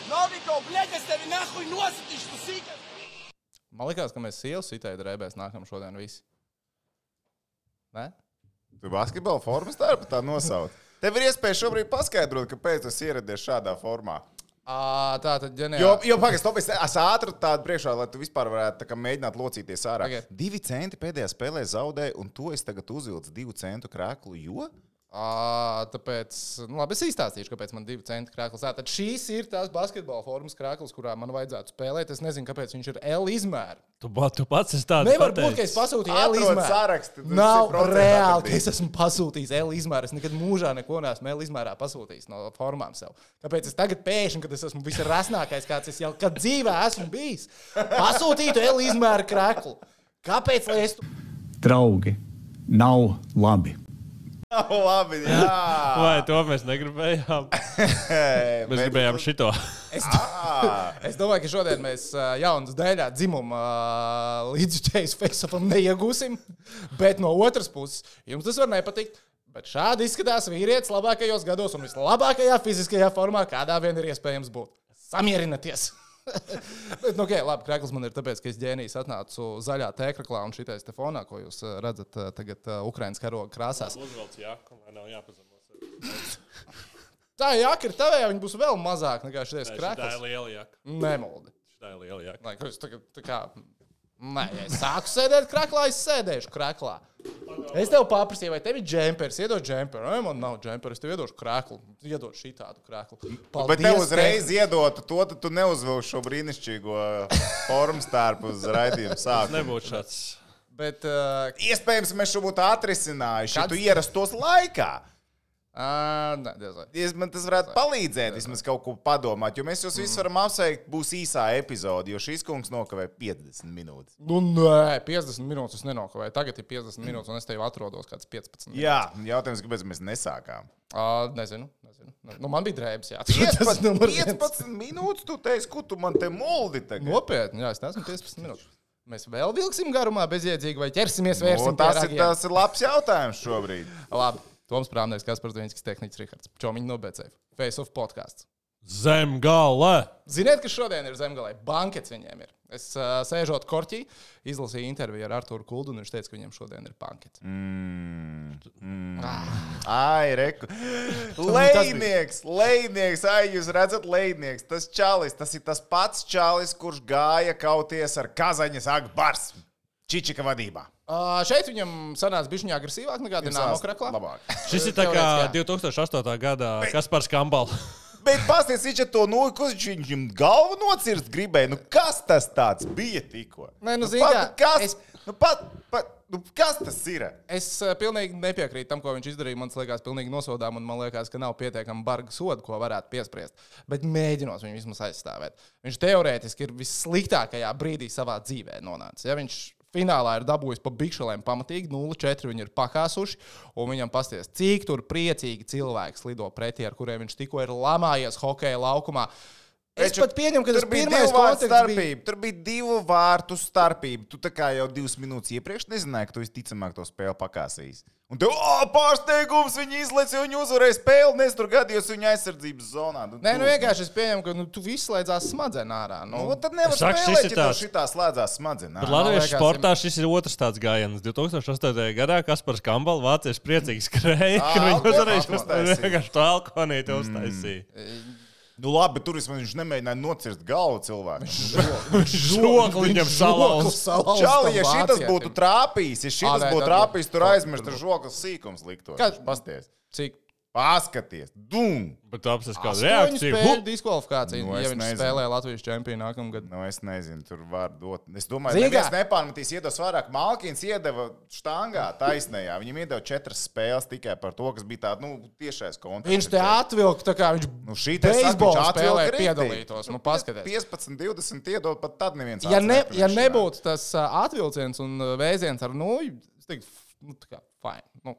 Noviko, bļaļ, es tevi nahuj nositīšu, tu sīkas! Man likās, ka mēs sievas sitēja drēbēs nākam šodien visi. Ne? Tu basketbola formas tā nosauc. Tev ir iespēja šobrīd paskaidrot, kāpēc tu ieradies šādā formā. Tā tad ģeniāli. Jo pagaidi, es ātri tādu priekšā, lai tu vispār varētu mēģināt locīties ārā. Okay. 2 centi pēdējā spēlē zaudēja, un to es tagad uzvilcu 2 centu krēklu, jo? Tāpēc, labi, es izstāstīšu, kāpēc man 2 centi krēkls. Tad šīs ir tās basketbola formas krēkls, kurā man vajadzētu spēlēt. Es nezinu, kāpēc viņš ir L izmēra. Tu pats esi tāds. Nevar būt, ka es pasūtīju L izmēru. Saraksti, nav reāli, ka es esmu pasūtījis L izmēru. Es nekad mūžā neko neesmu L izmērā pasūtījis no formām sev. Kāpēc es tagad pēkšņi, kad es esmu visrasnākais, kāds es jau kad dzīvē esmu bijis, pasūtītu L izmēru krēklu? Kāpēc, lai es... Draugi, nav labi. Labi, jā. Vai to mēs negribējām? Mēs gribējām šito. Es domāju, ka šodien mēs jaunas daļā dzimuma līdzjutējas face-offam neiegūsim, bet no otras puses jums tas var nepatikt. Bet šādi izskatās vīrietis labākajos gados un vislabākajā fiziskajā formā, kādā vien ir iespējams būt. Samierināties! Bet, okay, labi, krēkls man ir tāpēc, ka es ģēnijs atnācu zaļā tēkraklā un šitais te fonā, ko jūs redzat tagad Ukrainas karoga krāsās. Uzvelc jaku, lai nav jāpazemos. Tā jaka ir tavējā, viņa būs vēl mazāk nekā šitais krēkls. Tā ir liela jaka. Nemoldi. Tā ir liela jaka. Lai, es tagad, tā kā, nē, ja es sāku sēdēt krēklā, es sēdēšu krēklā. Es tev paprasīju, vai tev ir džempers, iedod džemperu. Nē, man nav džemperu, es tev iedošu krēklu. Iedod šitādu krēklu. Paldies, bet tev uzreiz iedotu to, tad tu neuzvilši šo brīnišķīgo formu stārpu uz raidījumu sākumu. Nebūtu šāds. Bet, iespējams, mēs šo būtu atrisinājuši, ja tu ierastos laikā. nē, diezvai. Man tas varētu palīdzēt, vismaz kaut ko padomāt, jo mēs jūs visus varam apsveikt, būs īsā epizode, jo šīs kungs nokavē 50 minūtes. Nu, nē, 50 minūtes es nenokavēju. Tagad ir 50 minūtes, un es tevi atrodos kāds 15 minūtes. Jā, jautājums, kāpēc mēs nesākām? Nezinu. Nu, man bija drēbes, jā. 15 minūtes, tu teici, ko tu man te moldi tagad? Nopietni, jā, es neesmu 15 minūtes. Mēs vēl vilksim garumā bezjēdzīgi vai ķersimies vērsim pie ragiem? Tas ir labs jautājums šobrīd. Labi. Toms Prāmnieks, Kaspars Dviņskis, tehniķis Rihards. Čomiņi no BCF. Face of podcasts. Zemgale! Ziniet, kas šodien ir Zemgalē? Bankets viņiem ir. Es sēžot korķī, izlasīju interviju ar Arturu Kuldu, un viņš teica, ka viņiem šodien ir bankets. Ai, reku. Lejnieks, ai, jūs redzat lejnieks. Tas čalis, tas ir tas pats čalis, kurš gāja kauties ar Kazaņas Akbars. Čičika vadībā. Šeit viņam sanāca bišķiņā agresīvāk nekā Dinamo Kraklā. Šis ir tā kā 2008. gadā Kaspars Kambal. Bet pasties, viņš ar to ko viņš viņam galvu nocirst gribēja. Nu, kas tas tāds bija tikko? Nē, nu, kas tas ir? Es pilnīgi nepiekrītu tam, ko viņš izdarīja. Man liekas, pilnīgi nosodām, un man liekas, ka nav pietiekami barga soda, ko varētu piespriest. Bet mēģinos viņu vismaz aizstāvēt. Viņš teorētiski ir vissliktākajā brīdī savā dzīvē nonācis. Ja viņš finālā ir dabūjis pa bikšelēm pamatīgi, 0-4 viņi ir pakāsuši, un viņam pasties, cik tur priecīgi cilvēks lido pretī, ar kuriem viņš tikko ir lamājies hokeja laukumā. Es pat pieņemu, ka tas pirmais konteksts bija. Tur bija 2 vārtu starpība. Tu tā kā jau 2 minūtes iepriekš nezināji, ka tu visticamāk to spēli pakāsīs. Un tev, pārsteigums, viņi izlaica, viņi uzvarēja spēli, nes tur gadījos viņa aizsardzības zonā. Nē, vienkārši es pieņemu, ka tu viss slēdzās smadzenā ārā. Tad nevar spēlēt, ja tev šitā slēdzās smadzenā. Bet latviešu sportā šis ir otrs tāds gājiens. 2008. gadā Kaspars Kambal vācieši priecīgi skrēja, ka viņi uzvarēja vienkārši to alkoholīti uztaisīja. Nu labi, bet tur viņš nemēģināja nocirst galvu cilvēku. Žokli viņam salauz. Čali, ja šitas būtu trāpījis, tur aizmirst ar žoklas sīkums liktos. Pasties. Cik? Paskaties. Dum! Bet tu apsies kādu reakciju. Spēļu diskvalifikāciju, ja viņš spēlē Latvijas čempionu nākamgad. Nu, es nezinu, tur var dot. Es domāju, neviens nepārmetīs, iedos vairāk. Malkins iedeva štangā taisnējā. Viņam iedeva 4 spēles tikai par to, kas bija tāda, tiešais konteksts. Viņš te atvilka, tā kā viņš beisbola spēlē piedalītos. Nu, paskaties. 15-20 iedod, pat tad neviens ja nebūtu tas atvilciens un vēziens ar nūju, es teiktu, tā kā, fine.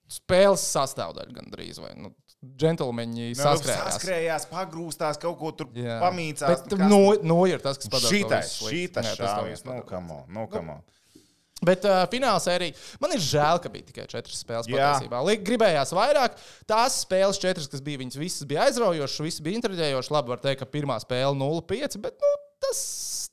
Spēles sastāvdaļa gandrīz, vai džentlmeņi saskrējās, pagrūstās, kaut ko tur pamīcās. Bet ir tas, kas padara. Šitas šāvies, no come on. Bet fināla sērija, man ir žēl, ka bija tikai 4 spēles patiesībā. Gribējās vairāk. Tās spēles 4, kas bija, viņas visas bija aizraujošas, visas bija intriģējošas. Labi, var teikt, ka pirmā spēle 0-5, bet tas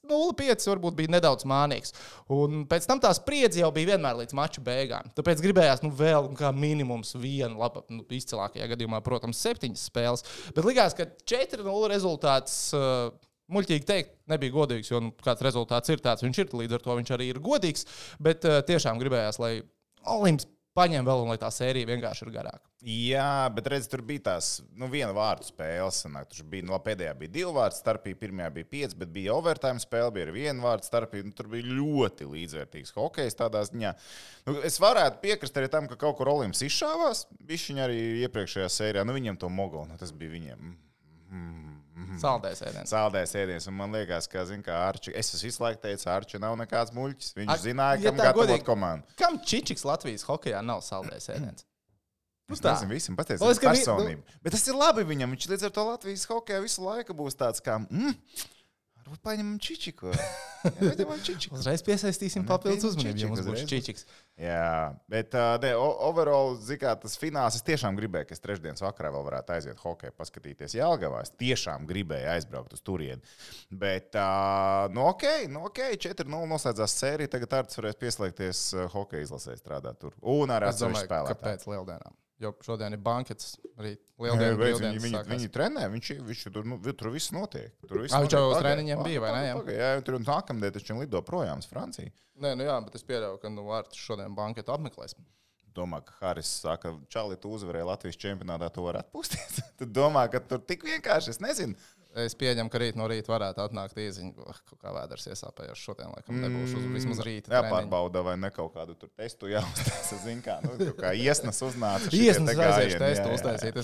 0-5 varbūt bija nedaudz mānīgs. Un pēc tam tā spriedze jau bija vienmēr līdz maču beigām. Tāpēc gribējās vēl kā minimums vienu, labi, izcilākajā gadījumā, protams, 7 spēles. Bet likās, ka 4-0 rezultāts... Muļķīgi teikt, nebija godīgs, jo kāds rezultāts ir tāds, viņš ir, līdz ar to viņš arī ir godīgs, bet tiešām gribējās, lai Olimps paņem vēl un lai tā sērija vienkārši ir garāka. Jā, bet redz, tur bija tās, viena vārtu spēles, tur bija, pēdējā bija 2 vārtu starpība, pirmajā bija 5, bet bija overtime spēle, bija arī 1 vārtu starpība, tur bija ļoti līdzvērtīgs hokejs tādā ziņā. Es varētu piekrist arī tam, ka kaut kur Olimps izšāvās, bišķiņ arī iepriekšējā sērijā, viņiem to mogulu, tas bija viņiem. Saldējs ēdiens. Saldējs ēdiens, un man liekas, ka, Arči, es visu laiku teicu, Arči nav nekāds muļķis. Viņš zināja, kam gatavot komandu. Kam Čičiks Latvijas hokejā nav saldējs ēdiens? Es nezinu, visam patiesībā personība. Bet tas ir labi viņam, viņš līdz ar to Latvijas hokejā visu laiku būs tāds kā, varbūt paņemam Čičiku. Uzreiz piesaistīsim papildus uzmanību, ja mums būs Čičiks. Jā, bet overall, tas fināls, es tiešām gribēju, ka es trešdienas vakarā vēl varētu aiziet hokeju, paskatīties Jelgavā. Es tiešām gribēju aizbraukt uz turieni. Bet, ok, 4-0 noslēdzās sērija, tagad Artis varēs pieslēgties hokeja izlasē strādāt tur. Un ar atsevišķu spēlētāju. Kāpēc lieldienām? Jo šodien ir bankets, arī lieldienu. Viņi trenē, viņš tur viss notiek. Viņš jau uz treniņiem bija, vai ne? Jā, tur nākamdien taču lido projām uz Franciju. Nē, jā, bet es pieļauju, ka Artis šodien banketu apmeklēs. Domā, ka Haris saka, Čali, tu uzvarēji Latvijas čempionātā, tu vari atpūsties. Tu domā, ka tur tik vienkārši, es nezinu. Es pieņemu, ka rīt no rīta varētu atnākt īziņu, kā vēders iesāpējuši šodien, laikam nebūšu vismaz rīta treniņu. Jāpārbauda, vai ne kaut kādu tur testu jāuztais, kā iesnas uznāca. Iesnas aiziešu testu uztaisīt.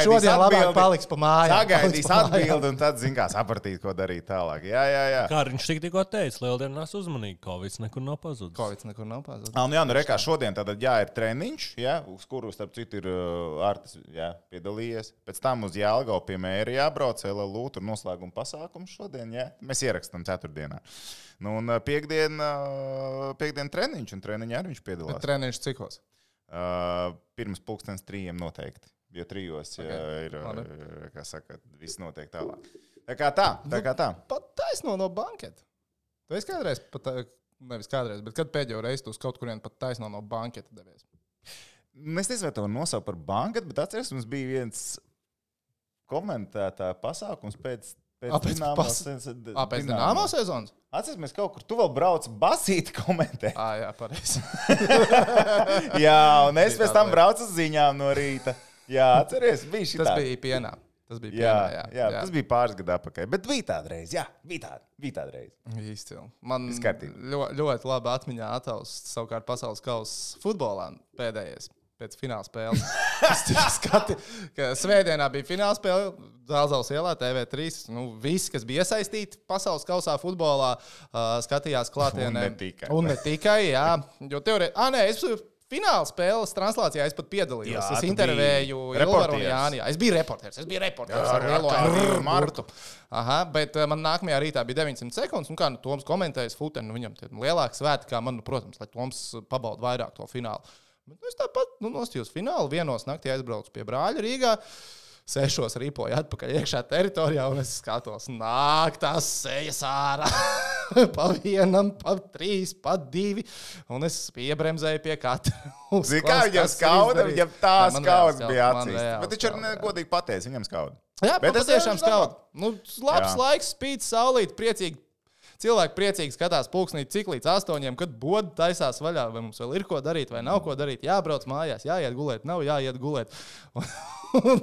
Šodien labāk paliks pa mājām. Sagaidīs atbildi un tad, sapratīt, ko darīt tālāk. Jā. Kā viņš tikko teica, lieldienās uzmanīgi, Kovids nekur nav pazudis. Rekā šodien tātad ir treniņš, uz kuru, starp citu, ir Artis piedalījies. Pēc tam uz Jelgavu pie mēra jābrauc, LLU, tur noslēguma pasākums šodien, mēs ierakstam 4. Un piekdien treniņš, un treniņā arī viņš piedalās. Bet treniņš cikos? Pirms 3:00 noteikti, jo 3:00 ir, kā saka, viss notiek tālāk. Tā kā tā. Pat taisno no banketa. Tu esi kādreiz, nevis kādreiz, bet kad pēdējo reizi tu uz kaut kurien pat taisno no banketa devies? Es nezinu, vai to nosaukt par banketu, bet atceries, mums bija viens komentētā pasākums pēc Dināmo sezonas? Atceries, mēs kaut kur, tu vēl brauc basīti komentēt. Jā, pareizi. Jā, un es pēc tam braucu uz ziņām no rīta. Jā, atceries, bija šitā. Tas bija pienā. Jā, tas bija pāris gadu atpakaļ, bet bija tāda reize, bija tāda reize. Izcili. Man ļoti labi atmiņā ataust savukārt pasaules kausa futbolā pēdējais. Pēc fināla spēles. Svētdienā bija fināla spēle Zālzavas ielā, TV3. Visi, kas bija iesaistīti pasaules kausā futbolā, skatījās klātienē. Un ne tikai, jā. Jo es fināla spēles translācijā es pat piedalījos. Es intervēju Ilvaru un Jāni. Es biju reporters ar lielo Martu. Bet man nākamajā rītā bija 900 sekundes. Un kā Toms komentējis futeni, viņam lielāks svēti, kā man, protams, lai Toms pabauda vairāk to finālu. Es tāpat nostījos finālu, 1:00 naktī aizbraucu pie brāļa Rīgā, 6:00 ripoju atpakaļ iekšā teritorijā, un es skatos, nāk tās sejas ārā, pa 1, pa 3, pa 2, un es piebremzēju pie katra. Zini, kā viņam skauda, viņam tā skauds bija acīs. Bet viņš arī negodīgi pateica, viņam skauda. Jā, bet patiešām skauda. Labs laiks, spīd, saulīt, priecīgi. Cilvēki priecīgi skatās pulksnī, cik līdz 8, kad boda taisās vaļā, vai mums vēl ir ko darīt, vai nav ko darīt. Jābrauc mājās, jāiet gulēt, nav jāiet gulēt. Un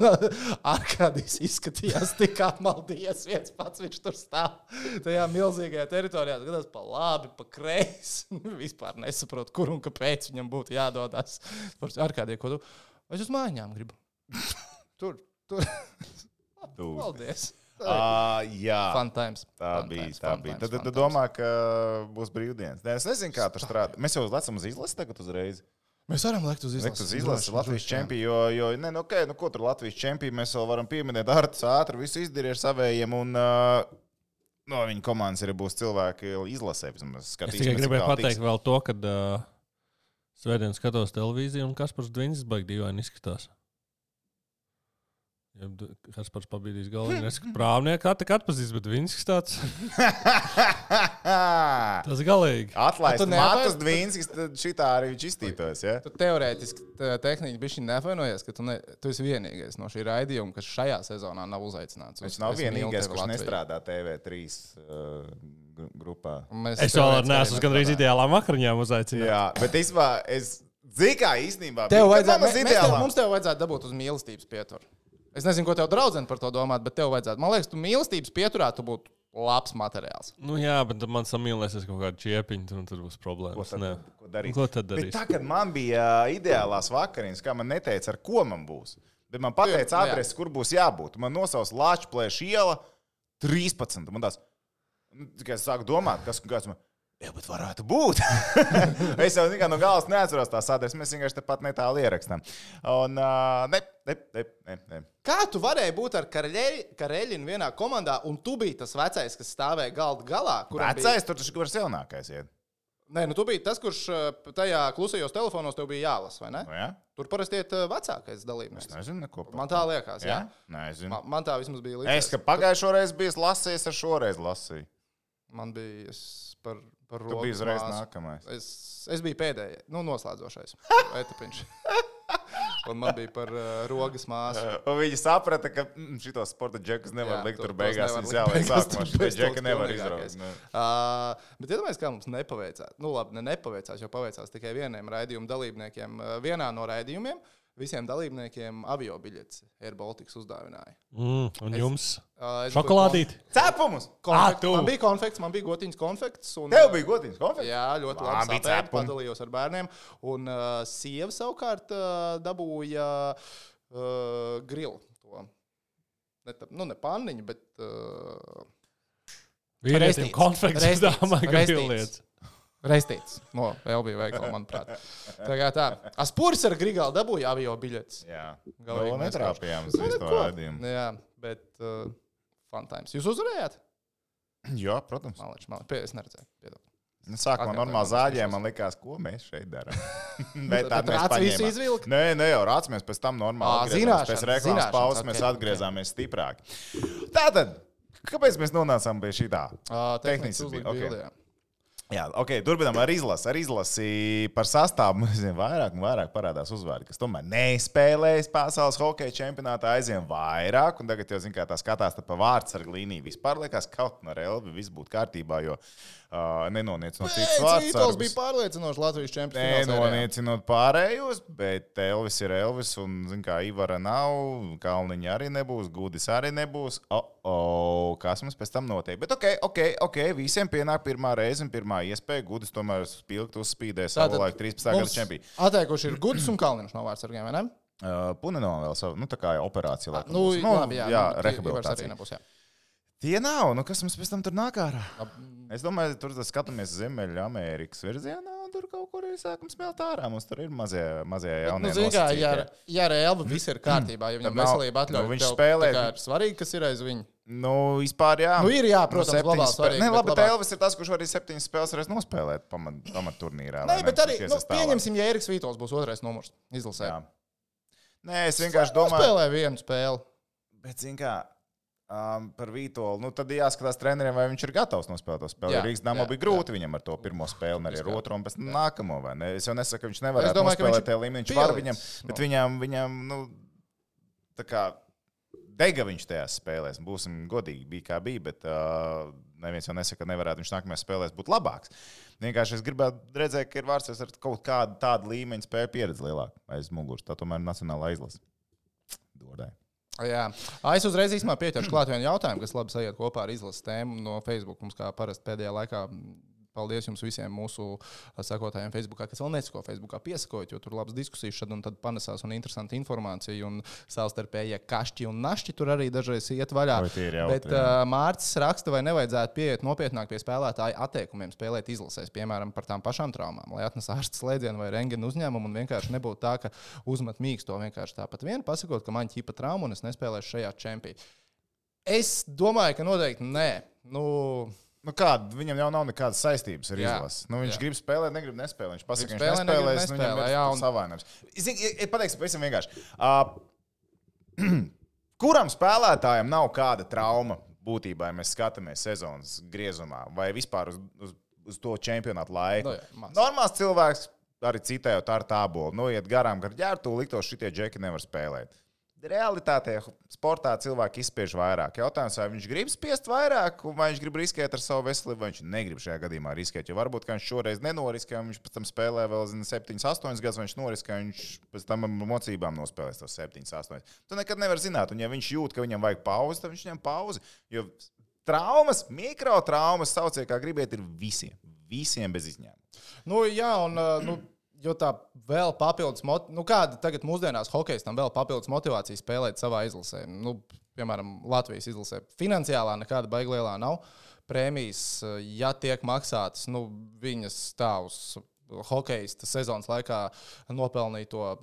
Arkādijs izskatījās tik apmaldījies viens pats, viņš tur stāv tajā milzīgajā teritorijā, skatās pa labi, pa kreisi. Vispār nesaprotu, kur un kāpēc viņam būtu jādodās. Arkādija, ko tu? Es uz mājām gribu. Tur. Paldies. Jā, fun times. Tā bija. Tad domā, ka būs brīvdienas. Es nezinu, kā tur strādā. Mēs jau lecam uz izlasi tagad uzreiz. Mēs varam lekt uz izlasi. Latvijas čempionu, ko tur Latvijas čempionu mēs vēl varam pieminēt. Artis ātri visu izdarīja ar savējiem. Un no viņa komandas arī būs cilvēki izlasē. Es tikai gribēju pateikt vēl to, ka svētdien skatos televīziju un Kaspars Dviņas baigi dīvaini izskatās. Ja Kaspars pabīdīs galvu, nesaka prāvnieku, atpazīs, bet Dviņas tāds. Tas galīgi. Atlaist Matus Dviņskis, tad šitā arī viņš iztītos, ja? Tu teorētiski tehniski bišķi nevainojies, ka tu esi vienīgais no šī raidījuma, kas šajā sezonā nav uzaicināts. Viņš nav vienīgais, kurš nestrādā TV3 grupā. Es vēl neesmu gandrīz ideālām vakariņām uzaicināts. Jā, bet īstenībā mums tev vajadzētu dabūt uz mīlestības pieturu. Es nezinu, ko tev draudzene par to domāt, bet tev vajadzētu. Man liekas, tu mīlestības pieturā tu būtu labs materiāls. Nu jā, bet man samīlēsies kaut kādu čiepiņu, un tad būs problēmas. Ko darīt? Ko tad darīs? Bet tā, kad man bija ideālās vakariņas, kā man neteica, ar ko man būs, bet man pateica adresi, kur būs jābūt. Man nosauc Lāčplēša iela 13. Man tās, tikai es sāku domāt, kas man... Jā, bet varētu būt. Es jau no galvas neatceros tās adreses. Mēs vienkārši tepat netālu ierakstām. Un ne. Kā tu varēji būt ar Kareļinu vienā komandā, un tu biji tas vecais, kas stāvēja galda galā? Vecais, tur taču kurs jaunākais iet. Nē, tu biji tas, kurš tajā klusajos telefonos tev bija jālas, vai ne? No, jā? Tur parasti iet vecākais dalībnieks. Es nezinu neko. Man tā liekas, jā? Nezinu. Man tā vismaz bija liekas. Es, ka pagājušo reizi biju lasījis, ar šoreiz lasīju. Man bija par Tu biji uzreiz nākamais. Es biju pēdējais, noslēdzošais etapiņš. Un man bija par rogas māsu. Un viņi saprata, ka šitos sporta džekus nevar likt tur beigās. Viņas jāliek sākumā. Šitie džeki nevar izraugt. Bet iedomājies, kā mums nepaveicās. Nu labi, nepaveicās, jo paveicās tikai vieniem raidījumu dalībniekiem. Vienā no raidījumiem visiem dalībniekiem avio biļetes Air Baltics uzdāvināja. Un jums? Šokolādīti? Cepumus! Man bija konfekts, man bija gotiņas konfekts. Tev bija gotiņas konfekts? Jā, ļoti labi sapēt, padalījos ar bērniem. Un sieva savukārt dabūja grilu. Ne panniņu, bet... Vīrietim konfekts uzdāvā grillietas. Reistīts no Elbija veikala, manuprāt. Tā. Aspuris ar Grigālu dabūja avio biļetes. Jā. Vēl netrāpījām uz visu to raidījumu. Jā, bet fun times. Jūs uzvarējāt? Jā, protams. Es neredzēju. Sākumā normāli zāģējām, man likās, ko mēs šeit darām. Bet tad mēs visu izvilkt? Nē, jau rācamies pēc tam normāli. Pēc reklāmas pauzes mēs atgriezāmies stiprāk. Tātad, kāpēc mēs nonācām pie šitā? Tehniski uzlikt. Jā, turpinām ar izlasi. Ar izlasi par sastāvu vairāk un vairāk parādās uzvārdi, kas tomēr nespēlējas pasaules hokeja čempionātā, aizvien vairāk. Un tagad jau, kā tā skatās pa vārdsargu līniju, vispār liekas, kaut no Elvi viss būtu kārtībā, jo nenoniecot citus vārdsargus. Cītos bija pārliecinoši Latvijas čempionāts. Nenoniecinot pārējos, bet Elvis ir Elvis un, kā Ivara nav, Kalniņa arī nebūs, Gudis arī nebūs. Kas mums pēc tam notiek? Bet visiem pienāk pirmā reize un pirmā iespēja. Gudis tomēr spilgt uzspīdē savulaik 13. gada čempionu. Atteikuši ir Gudis un Kalniņš no vārdsargiem, vai ne? Punenova vēl savu, tā kā operācija. Jā, rehabilitācija. Tie nav, kas mums pēc tam tur nāk ārā? Es domāju, tur skatāmies Ziemeļa Amerikas virzienā, un tur kaut kur ir sākam smelt ārā. Mums tur ir mazie jaunie nosacītie. Ja ar Elvu viss ir kārtībā, ja viņam veselība atļauj, viņš spēlē. Ir svarīgi, kas ir aiz viņu. Vispār jā. Ir jā, protams, globāli svarīgi. Bet Elvis ir tas, kurš arī 7 spēles varēs nospēlēt pamat turnīrā. Nē, bet arī, pieņemsim, ja Eriks Vītols būs otrais numurs izlasē. Nē, es vienkārši domāju. Spēlē vienu spēli. Bet, par Vītolu, tad jāskatās treneriem, vai viņš ir gatavs nospēlēt to spēli. Rīgas Damo bija grūti viņam ar to pirmo spēli, un arī ar otro, un pēc tam nākamo. Es jau nesaku, ka viņš nevarētu nospēlēt tajā līmenī. Viņš var viņam, bet viņam tā kā dega viņš tajās spēlēs. Būsim godīgi, bija kā bija, bet neviens jau nesaka, ka nevarētu viņš nākamajās spēlēs būt labāks. Vienkārši es gribētu redzēt, ka ir vārds ar kaut kādu tādu līmeņu spēju pieredzi lielāku aiz muguras. Tā tomēr ir nacionāla izlase. Dordai. Jā. Es uzreiz īstenībā pieķeršu klāt vienu jautājumu, kas labi sajiet kopā ar izlases tēmu no Facebook. Mums kā parasti pēdējā laikā paldies jums visiem mūsu sekotājiem Facebookā, kas vēl nesako Facebookā, piesakojot, jo tur labas diskusijas šad un tad panesās un interesanta informācija un savstarpējie kašķi un našķi tur arī dažreiz iet vaļā. Bet Mārcis raksta, vai nevajadzētu pieiet nopietnāk pie spēlētāju atteikumiem spēlēt izlasēs, piemēram, par tām pašām traumām, lai atnes ārsta slēdzienu vai rentgena uzņēmumu un vienkārši nebūtu tā, ka uzmet mīksto vienkārši tāpat vien, pasakot, ka man ķipa traumu un es nespēlēšu šajā čempī. Es domāju, ka noteikti nē. Nu kāda, viņam jau nav nekādas saistības ar izlasi. Nu, viņš grib spēlēt, negrib nespēlēt. Viņš pasaka, viņš nespēlēs, viņam ir savainojums. Pateiksim, pavisam vienkārši. Kuram spēlētājam nav kāda trauma būtībā, ja mēs skatāmies sezonas griezumā vai vispār uz to čempionātu laiku? Normāls cilvēks arī citējot ar tābolu. Iet garām gar ģērtu, liktos šitie džeki nevar spēlēt. Realitātē sportā cilvēki izspiež vairāk. Jautājums, vai viņš grib spiest vairāk, vai viņš grib riskēt ar savu veselību, vai viņš negrib šajā gadījumā riskēt. Jo varbūt, ka viņš šoreiz nenoriskē, viņš pēc tam spēlē vēl 7-8 gadus, vai viņš noriskē, viņš pēc tam mocībām nospēlēs tos 7-8. Tu nekad nevar zināt, un ja viņš jūt, ka viņam vajag pauzi, tad viņš ņem pauzi. Jo traumas, mikrotraumas, sauciet, kā gribiet, ir visiem bez izņēmuma. Jo tā vēl papildus, kāda tagad mūsdienās hokejistam vēl papildus motivācija spēlēt savā izlasē. Piemēram, Latvijas izlasē. Finansiālā nekāda baiglielā nav. Prēmijas, ja tiek maksātas, viņas stāvus hokejista sezonas laikā nopelnīto.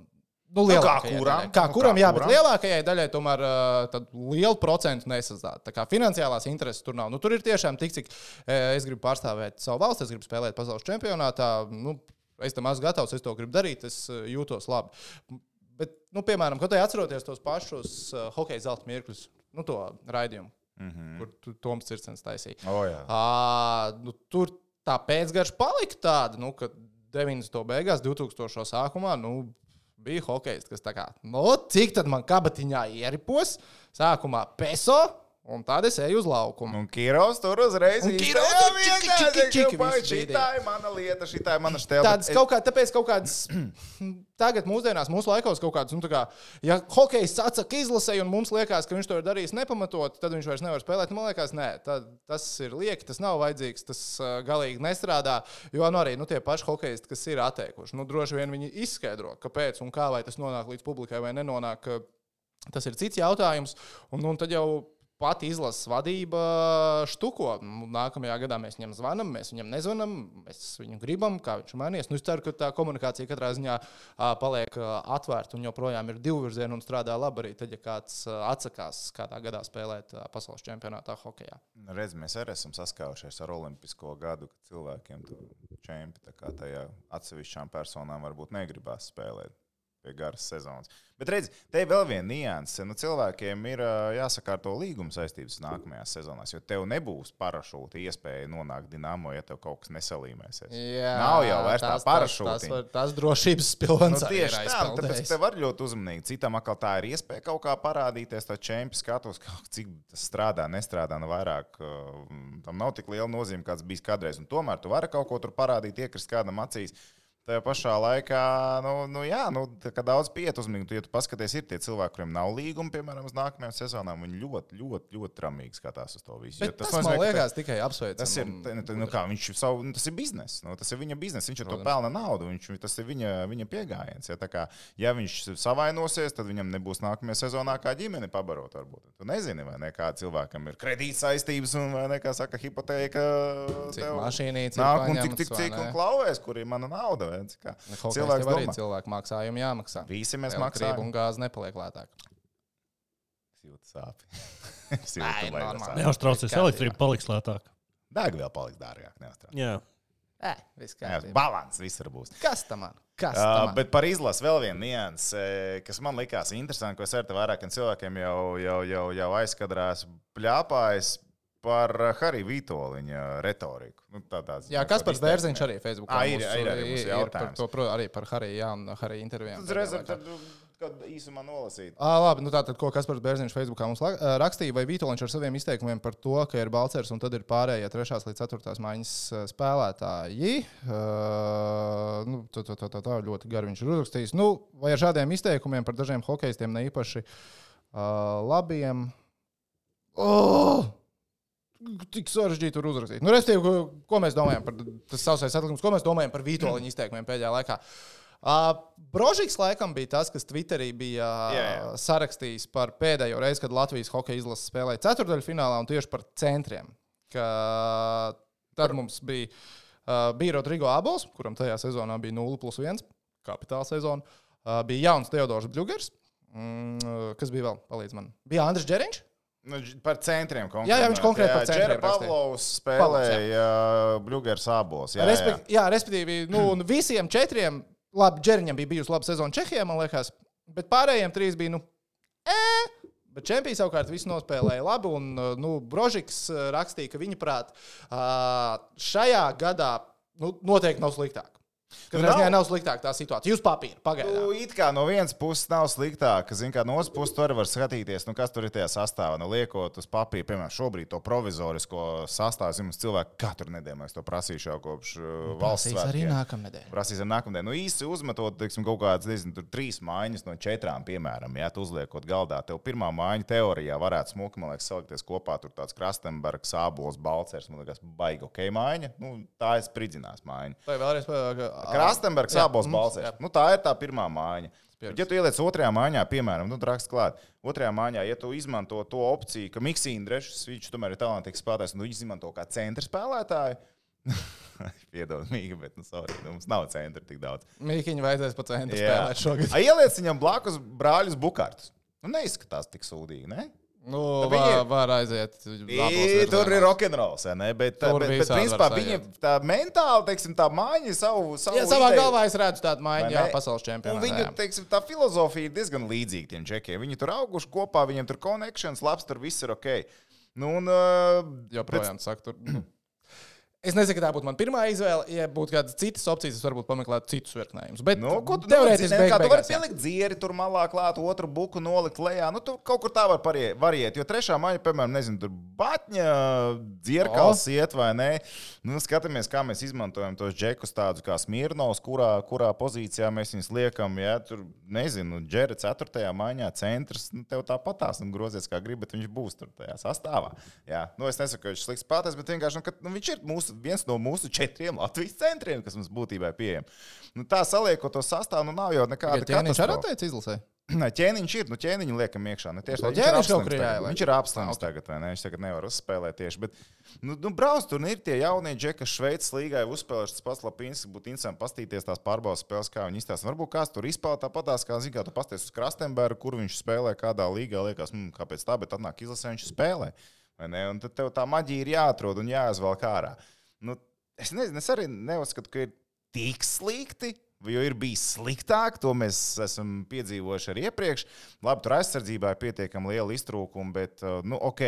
Kā kuram, jā, bet lielākajai daļai tomēr lielu procentu nesastāv. Tā kā finansiālās intereses tur nav. Tur ir tiešām tik, cik es gribu pārstāvēt savu valsti, es gribu spēlēt pasaules čempionātā, es tam esmu gatavs, es to gribu darīt, es jūtos labi. Bet, piemēram, kad atceroties tos pašus hokeja zelta mirkļus, to raidījumu, kur Toms Circens taisīja. Tur tā pēcgarša palika tāda, ka 90. beigās, 2000. sākumā, bija hokejs, kas tā kā, cik tad man kabatiņā ieripos, sākumā peso, un tad es eju uz laukumu. Un Kirovs tur uzreiz šitā ir mana lieta, šitā ir mana štēle. Tāpēc kaut kādas, tagad mūsdienās, mūsu laikos kaut kādas, ja hokejs atsaka izlasēju un mums liekas, ka viņš to ir darījis nepamatot, tad viņš vairs nevar spēlēt. Man liekas, nē, tas ir lieki, tas nav vajadzīgs, tas galīgi nestrādā, jo arī tie paši hokejisti, kas ir atteikuši. Droši vien viņi izskaidro, kāpēc un kā, vai tas nonāk līdz publikai vai nenonāk, tas ir cits jautājums. Un tad jau pati izlases vadība štuko. Nākamajā gadā mēs viņam zvanam, mēs viņam nezvanam, mēs viņu gribam, kā viņš mainīs. Es ceru, ka tā komunikācija katrā ziņā paliek atvērta un joprojām ir divvirziena un strādā labi arī tad, ja kāds atsakās kādā gadā spēlēt pasaules čempionātā hokejā. Redz, mēs arī esam saskaujušies ar olimpisko gadu, kad cilvēkiem čempi tā kā tajā atsevišķām personām varbūt negribās spēlēt pie garas sezonas. Bet redz, te vēl viena nianse. Cilvēkiem ir jāsakārto līguma saistības nākamajās sezonās, jo tev nebūs parašūta iespēja nonākt Dinamo, ja tev kaut kas nesalīmēsies. Jā, nav jau vairs tā parašūtiņa. Tas drošības pilvens tieši tā, tāpēc te var ļoti uzmanīgi. Citam atkal tā ir iespēja kaut kā parādīties, tā čempi skatos, cik tas strādā, nestrādā, vairāk. Tam nav tik liela nozīme, kāds bijis kādreiz. Un tomēr tu vari kaut ko tur parādīt, iekrist kādam acīs. Tajā pašā laikā, ka daudz piet uzmanīgi, ja tu paskaties, ir tie cilvēki, kuriem nav līguma, piemēram, uz nākamajām sezonām, viņi ļoti tramīgi skatās uz to visu. Bet tas man liekas tikai apsveicam. Tas ir, tas ir biznes, tas ir viņa biznes, viņš ar to pelna naudu, tas ir viņa piegājiens. Ja viņš savainosies, tad viņam nebūs nākamajā sezonā kā ģimene pabarot varbūt. Tu nezini, vai ne, kā cilvēkam ir kredītsaistības un, vai ne, kā saka, hipotēka. Cik mašīnīca nāk un cik un klauvēs, kur ir mana nauda. Cilvēks arī cilvēku maksājumu jāmaksā. Visi mēs maksājam. Un gāze nepaliek lētāk. Es jūtu sāpi. Neuztraucies, elektrība paliks lētāk. Degviela paliks dārgāk, neuztraucies. Jā. Viss kārtībā. Balans visur būs. Kas tam man? Bet par izlasi vēl viena nianse, kas man likās interesanti, ko es ar te vairākiem cilvēkiem jau aizkadrās pļāpājis. Par Hariju Vītoliņa retoriku. Jā, Kaspars Bērziņš arī Facebookā. Ir arī mums jautājums. Arī par Hariju, jā, un Hariju intervijām. Tad īsumā nolasīt. Labi, tātad, ko Kaspars Bērziņš Facebookā mums rakstīja, vai Vītoliņš ar saviem izteikumiem par to, ka ir Balcers un tad ir pārējie 3. līdz 4. maiņas spēlētāji. Tā ļoti gari viņš ir uzrakstījis. Vai ar šādiem izteikumiem par dažiem hokejistiem neīpaši labiem? Tik sarežģīti tur uzrakstīt. Restīvi, ko mēs domājam par tas sausais atlikums, ko mēs domājam par Vītoliņa izteikumiem pēdējā laikā. Brožiks laikam bija tas, kas Twitterī bija sarakstījis par pēdējo reizi, kad Latvijas hokeja izlase spēlēja ceturtdaļfinālā un tieši par centriem. Tad mums bija Rodrigo Abols, kuram tajā sezonā bija 0+1, kapitāla sezona. Bija jauns Teodors Bļugers. Kas bija vēl? Palīdz man. Bija Andris Džeriņš. Par centriem konkrēti. Jā, viņš konkrēti par centriem Džera Pavlovs spēlēja Bļugers abos. Respektīvi, un visiem 4, labi, Džeriņam bija bijusi laba sezona Čehijā, man liekas, bet pārējiem 3 bija, Bet čempions savukārt visu nospēlēja labi, un Brožiks rakstīja, ka viņa prāt šajā gadā noteikti nav sliktāk. Katrā ziņā nav sliktāk tā situācija. Jūs papīri, pagaidām. It kā no vienas puses nav sliktāk, zin kā no otras puses tu arī var skatīties, kas tur ir tajā sastāvā. Liekot uz papīra, piemēram, šobrīd to provizorisko sastāvu, mums cilvēki katru nedēļu, mēs to prasīšu jau kopš valsts svētkiem. Arī nākamnedēļ. Prasīs arī nākamnedēļ. Īsti uzmetot, teiksim, kaut kādas, nezinu, 3 mājiņas no 4, piemēram, ja tu uzliekot galdā. Tev pirmā mājiņa teorijā varētu smuki, man liekas, salikties kopā, tur tāds Krastenbergs, Ābols, Balcers, man liekas, baigi ok mājiņa. Tā ir spridzinās mājiņa. Vai vēlreiz Krastenbergs, Ābols, Balcers. Tā ir tā pirmā mājiņa. Bet, ja tu ieliec 2. mājiņā, piemēram, raksts klāt, 2. mājiņā, ja tu izmanto to opciju, ka Miksīna Drešs, viņš tomēr ir talantīgs spēlētājs, un tu izmanto kā centra spēlētāju, piedod, Mīga, bet, sorry, mums nav centra tik daudz. Mīkiņu vajadzēs pa centru spēlēt šogad. Ieliec viņam blakus brāļus Bukartus. Neizskatās tik sūdīgi, ne? Var aiziet. Tur ir rokenrols, ne? Bet principā viņiem tā mentāli, teiksim, tā mājiņa savu savā galvā es redzu tādu mājiņu, pasaules čempionātā. Un viņu, teiksim, tā filozofija ir diezgan līdzīga tiem džekiem. Viņi tur auguši kopā, viņiem tur connections, labs, tur viss ir ok. Joprojām saka, tur... Es nezinu, ka tā būtu mana pirmā izvēle. Ja būtu kādas citas opcijas, es varbūt pameklētu citus virknējumus. Bet teorētiski tu vari pielikt dzieri tur malā klāt, otru buku nolikt lejā. Tu kaut kur tā var variet. Jo 3. māja, piemēram, nezinu, tur Batņa dzierkals iet vai nē. Skatāmies, kā mēs izmantojam tos džekus tādus kā Smirnovs, kurā pozīcijā mēs viņus liekam. Ja, tur, nezinu, Džera 4. mājiņā centrs. Tev tāpatās grozies kā grib, bet viņš būs tur tajā sastāvā. Ja. Es nesaku, ka viņš slikts spēlētājs, bet vienkārši, viņš ir viens no mūsu 4 Latvijas centriem, kas mums būtībā ir pieejami. Tā saliekot to sastāvu, nav jau nekāda katastrofa. Ķēniņš arī atteic izlasē? Ķēniņš ir, ķēniņu liekam iekšā. Viņš ir apslims tagad, vai ne? Viņš tagad nevar uzspēlēt tieši, bet, brauc, tur ir tie jaunie džeki, kas Šveices līgā ir uzspēlējuši tas pats Lapīns, būtu interesanti pastīties tās pārbaudas spēles, kā viņi izstāsta. Varbūt kāds tur izspēlē tāpatās, kā zin, kā tu pasties uz Krastenbergu, kur viņš spēlē kādā līgā, liekas, kāpēc tā, bet atnāk izlasē, viņš spēlē, vai ne? Un tad tev tā maģija ir jāatrod un jāizvelk ārā. Es nezinu, es arī neuzskatu, ka ir tik slikti, jo ir bijis sliktāk, to mēs esam piedzīvojuši arī iepriekš. Labi, tur aizsardzībā ir pietiekami liela iztrūkuma, bet, ok,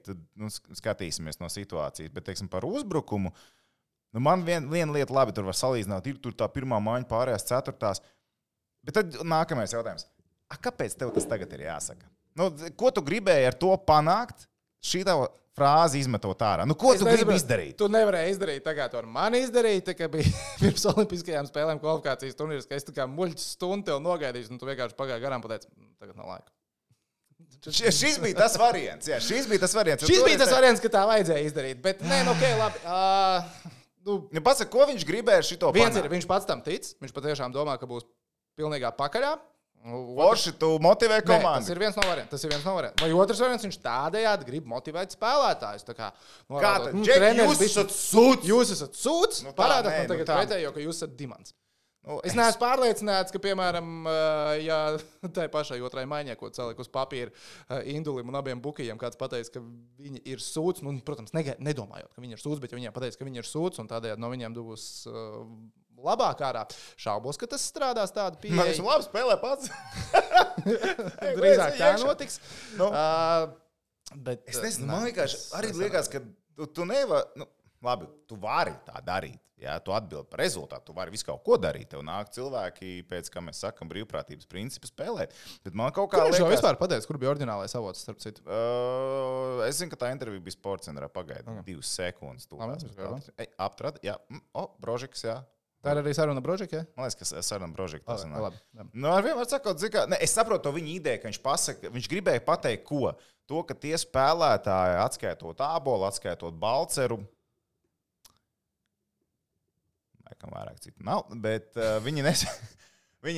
tad skatīsimies no situācijas. Bet, teiksim, par uzbrukumu, man viena lieta labi tur var salīdzināt, ir tur tā pirmā mājiņa pārējās 4. Bet tad nākamais jautājums. Kāpēc tev tas tagad ir jāsaka? Ko tu gribēji ar to panākt? Šī tā frāzi izmetot ārā. Ko tu gribi izdarīt? Tu nevarēji izdarīt tā, kā tu ar mani izdarīji, tā kā bija pirms olimpiskajām spēlēm kvalifikācijas turnīrs, ka es tā kā muļķis stundu tev nogaidīšu, un tu vienkārši pagāji garām pateici, tagad nav laika. Šis bija tas variants. Jā, šis bija tas variants, ka tā vajadzēja izdarīt, bet nē, labi. Pasaka, ko viņš gribēja ar šito panākt? Viņš pats tam tic, viņš patiešām domā, ka būs pilnīgā pakaļā. Forši, tu motivē komandu. Tas ir viens no variantiem. Vai otrs variants, viņš tādējādi grib motivēt spēlētājus. Jūs esat sūds. Jūs esat sūds. Parādāt man tagad pretējo, ka jūs esat dimants. Es neesmu pārliecināts, ka, piemēram, ja tai pašai 2. maiņai, ko celiek uz papīra Indulim un abiem bukijiem, kāds pateica, ka viņi ir sūds, protams, nedomājot, ka viņi ir sūds, bet ja viņiem pateica, ka viņi ir sūds, un tādējādi no viņiem būs labāk ārā. Šaubos, ka tas strādās tādu pieeja. Man esmu labi spēlē pats. Drīzāk tā notiks. Bet, es nezinu, man vienkārši arī liekas, ka tu nevari, labi, tu vari tā darīt. Jā, tu atbildi par rezultātu, tu vari visu kaut ko darīt. Tev nāk cilvēki, pēc kā mēs sakam, brīvprātības principu spēlēt. Bet man kaut kā liekas... Kur viņš vispār pateica, kur bija oriģinālais avots, starp citu? Es zinu, ka tā intervija bija Sportcentrā pagaida 2 sekundes. Aptrad, jā. Brožiks, jā. Tā ir arī saruna Brožika, ja? Man liekas, ka saruna Brožika tas nāk. Ar vienmēr sakot, es saprotu to viņa ideju, ka viņš pasaka, viņš gribēja pateikt, ko? To, ka tie spēlētāji, atskaitot Ābolu, atskaitot Balceru, laikam vairāk citu nav, bet viņi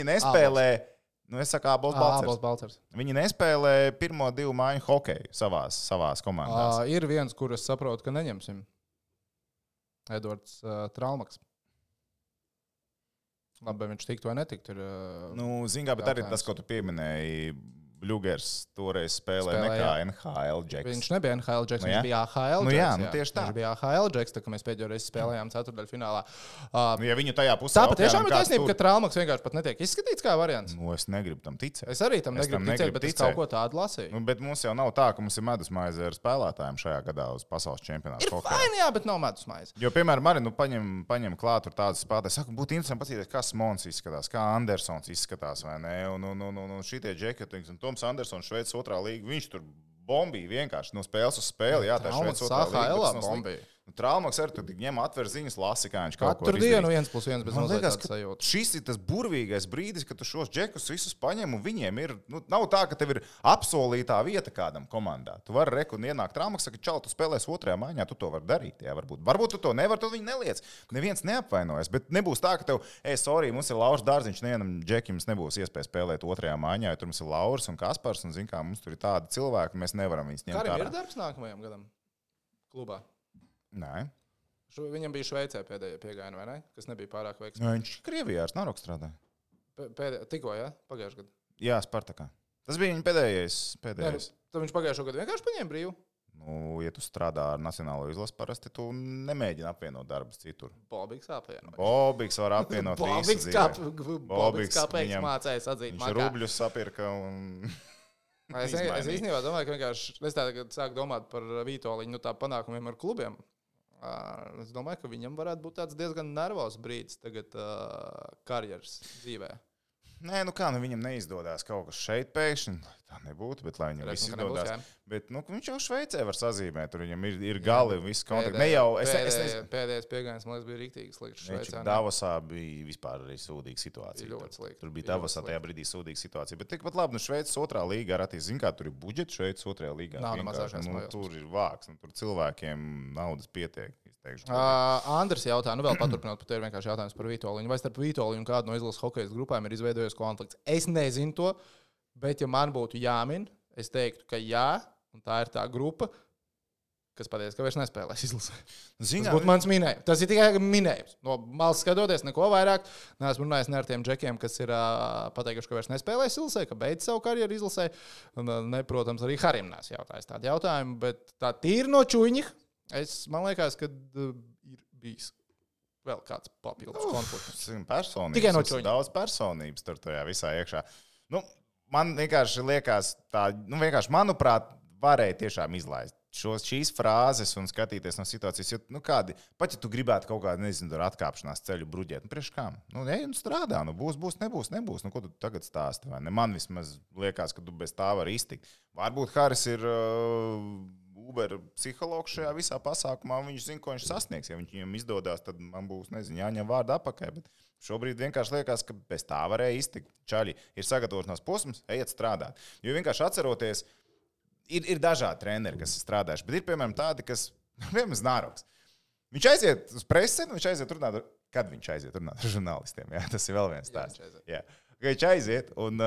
nespēlē, es saku Ābols Balcers. Viņi nespēlē pirmo 2 mājiņu hokeju savās komandās. Ir viens, kur es saprotu, ka neņemsim. Edvards Traumaks. Labi, viņš tiktu vai netiktu. Zin kā, bet arī tas, ko tu pieminēji, Bļugers toreiz spēlē nekā NHL džeks. Viņš nebija NHL džeks, Nu, viņš jā. bija AHL Nu, džeks. jā, nu, tieši tā. Viņš bija AHL džeks, tā kā mēs pēdējo reizi spēlējām ceturtdaļfinālā. Nu, ja viņu tajā pusē Tā patiešām ir kāds taisnība, tur- ka Traumaks vienkārši pat netiek izskatīts kā variants. Nu, es negribu tam ticēt. Es arī tam negribu ticēt, bet es kaut ko tādu lasīju. Nu, bet mums jau nav tā, ka mums ir medusmaize ar spēlētājiem šajā gadā uz pasaules čempionātu. Ir fajn, jā, bet nav medus maize. Jo, piemēram, arī paņem klāt tur tādas spēlētājas. Saku, būtu interesanti paskatīties, kā Smons izskatās, kā Andersons izskatās, vai ne? Un šitie džeki, un Toms Andersons, Šveices otrā līga, viņš tur bombīja vienkārši no spēles uz spēli. Jā, tā Šveices otrā līga. bombīja. Traumaks arī tur ņem atver ziņas, lasi, kā viņš kaut ko Katru dienu izdarīs. 1+1 bez Man mazliet liekas, tādas ka sajūtas. šis ir tas burvīgais brīdis, kad tu šos džekus visus paņem un viņiem ir. Nu, nav tā, ka tev ir apsolītā vieta kādam komandā. Tu vari reku un ienākt Traumaks, saka, čau, tu spēlēsi otrajā maiņā, tu to vari darīt. Jā, varbūt tu to nevari, tad viņi neliec. Neviens neapvainojas, bet nebūs tā, ka tev, sorry, mums ir Lauris Dārziņš, nevienam džekim nebūs iespēja spēlēt otrajā maiņā, jo tur mums ir Lauris un Kaspars, un zin kā, mums tur ir tādi cilvēki, mēs nevaram viņus ņemt Karim ir ārā. darbs nākamajam gadam klubā. Nē. Viņam bija Šveicē pēdējie piegājieni, vai ne? Kas nebija pārāk veiksmīgi. Viņš Krievijā ar Snaroku strādāja. Tikko, jā? Pagājušajā gadā. Jā, Spartakā. Tas bija viņa pēdējais. Tad viņš pagājušajā gadā vienkārši paņēma brīvu. Nu, ja tu strādā ar nacionālo izlasi, parasti tu nemēģini apvienot darbus citur. Bobīgs apvienot. Bobīgs var apvienot visu dzīvi. Bobīgs kāpēc mācējis atzīt. Viņš rubļus sapirka un... Es īstenībā domāju, ka vienkārši es tagad sāku domāt par Vītoliņu, tā panākumiem ar klubiem. Es domāju, ka viņam varētu būt tāds diezgan nervos brīdis tagad karjeras dzīvē. Nē, nu kā, viņam neizdodas kaut kas šeit pēkšņi. Tā nebūtu, bet lai viņam viss izdodas. Bet viņš jau Šveicē var sazīmēt, tur viņam ir gali un viss kontakti. Pēdējais piegājiens, man liekas, bija riktīgi slikts Šveicē. Davosā bija vispār arī sūdīga situācija. Ļoti slikti. Tur bija Davosā tajā brīdī sūdīga situācija. Bet tikpat labi, nu Šveices otrā līga ar attīstību. Zin kā, tur ir budžets Šveices otrajā līgā. Nav mazākais tur ir vāks, un tur cilvēkiem naudas pietiek. Andris jautā, nu vēl paturpinot, pat ir vienkārši jautājums par Vītoliņu. Vai starp Vītoliņu un kādu no izlases hokejas grupām ir izveidojies konflikts? Es nezinu to, bet ja man būtu jāmin, es teiktu, ka jā, un tā ir tā grupa, kas pateica, ka vairs nespēlēs izlasē. Tas būtu mans minējums. Tas ir tikai minējums. No malas skatoties, neko vairāk. Neesmu runājis ne ar tiem džekiem, kas ir pateikuši, ka vairs nespēlēs izlasē, ka beidz savu karjeru izlasē. Un, protams, arī Harim nes jautājis tādu jautājumu, bet tā tīri no čuņa. Man liekas, ka ir bijis vēl kāds papildus konflikts. Tikai no čuņa. Daudz personības tur tajā visā iekšā. Nu, man vienkārši liekas, vienkārši, manuprāt, varēja tiešām izlaist šīs frāzes un skatīties no situācijas. Jo, pat ja tu gribētu kaut kādu, nezinu, atkāpšanās ceļu bruģēt, priekš kām? Ej un strādā, būs, nebūs. Ko tu tagad stāsti? Vai ne? Man vismaz liekas, ka tu bez tā vari iztikt. Varbūt Haris ir Uber psihologs šajā visā pasākumā, un viņš zina, ko viņš sasniegs. Ja viņam izdodas, tad man būs, jāņem vārdu apakai. Bet šobrīd vienkārši liekas, ka bez tā varēja iztikt. Čaļi ir sagatavošanās posms, ejiet strādāt. Jo vienkārši atceroties, ir dažādi treneri, kas ir strādājuši, bet ir, piemēram, tādi, kas, piemēram, Znaroks. Viņš aiziet uz presi, viņš aiziet runāt, kad viņš aiziet runāt ar žurnālistiem. Jā, tas ir vēl viens stāsts. Viņš aiziet, un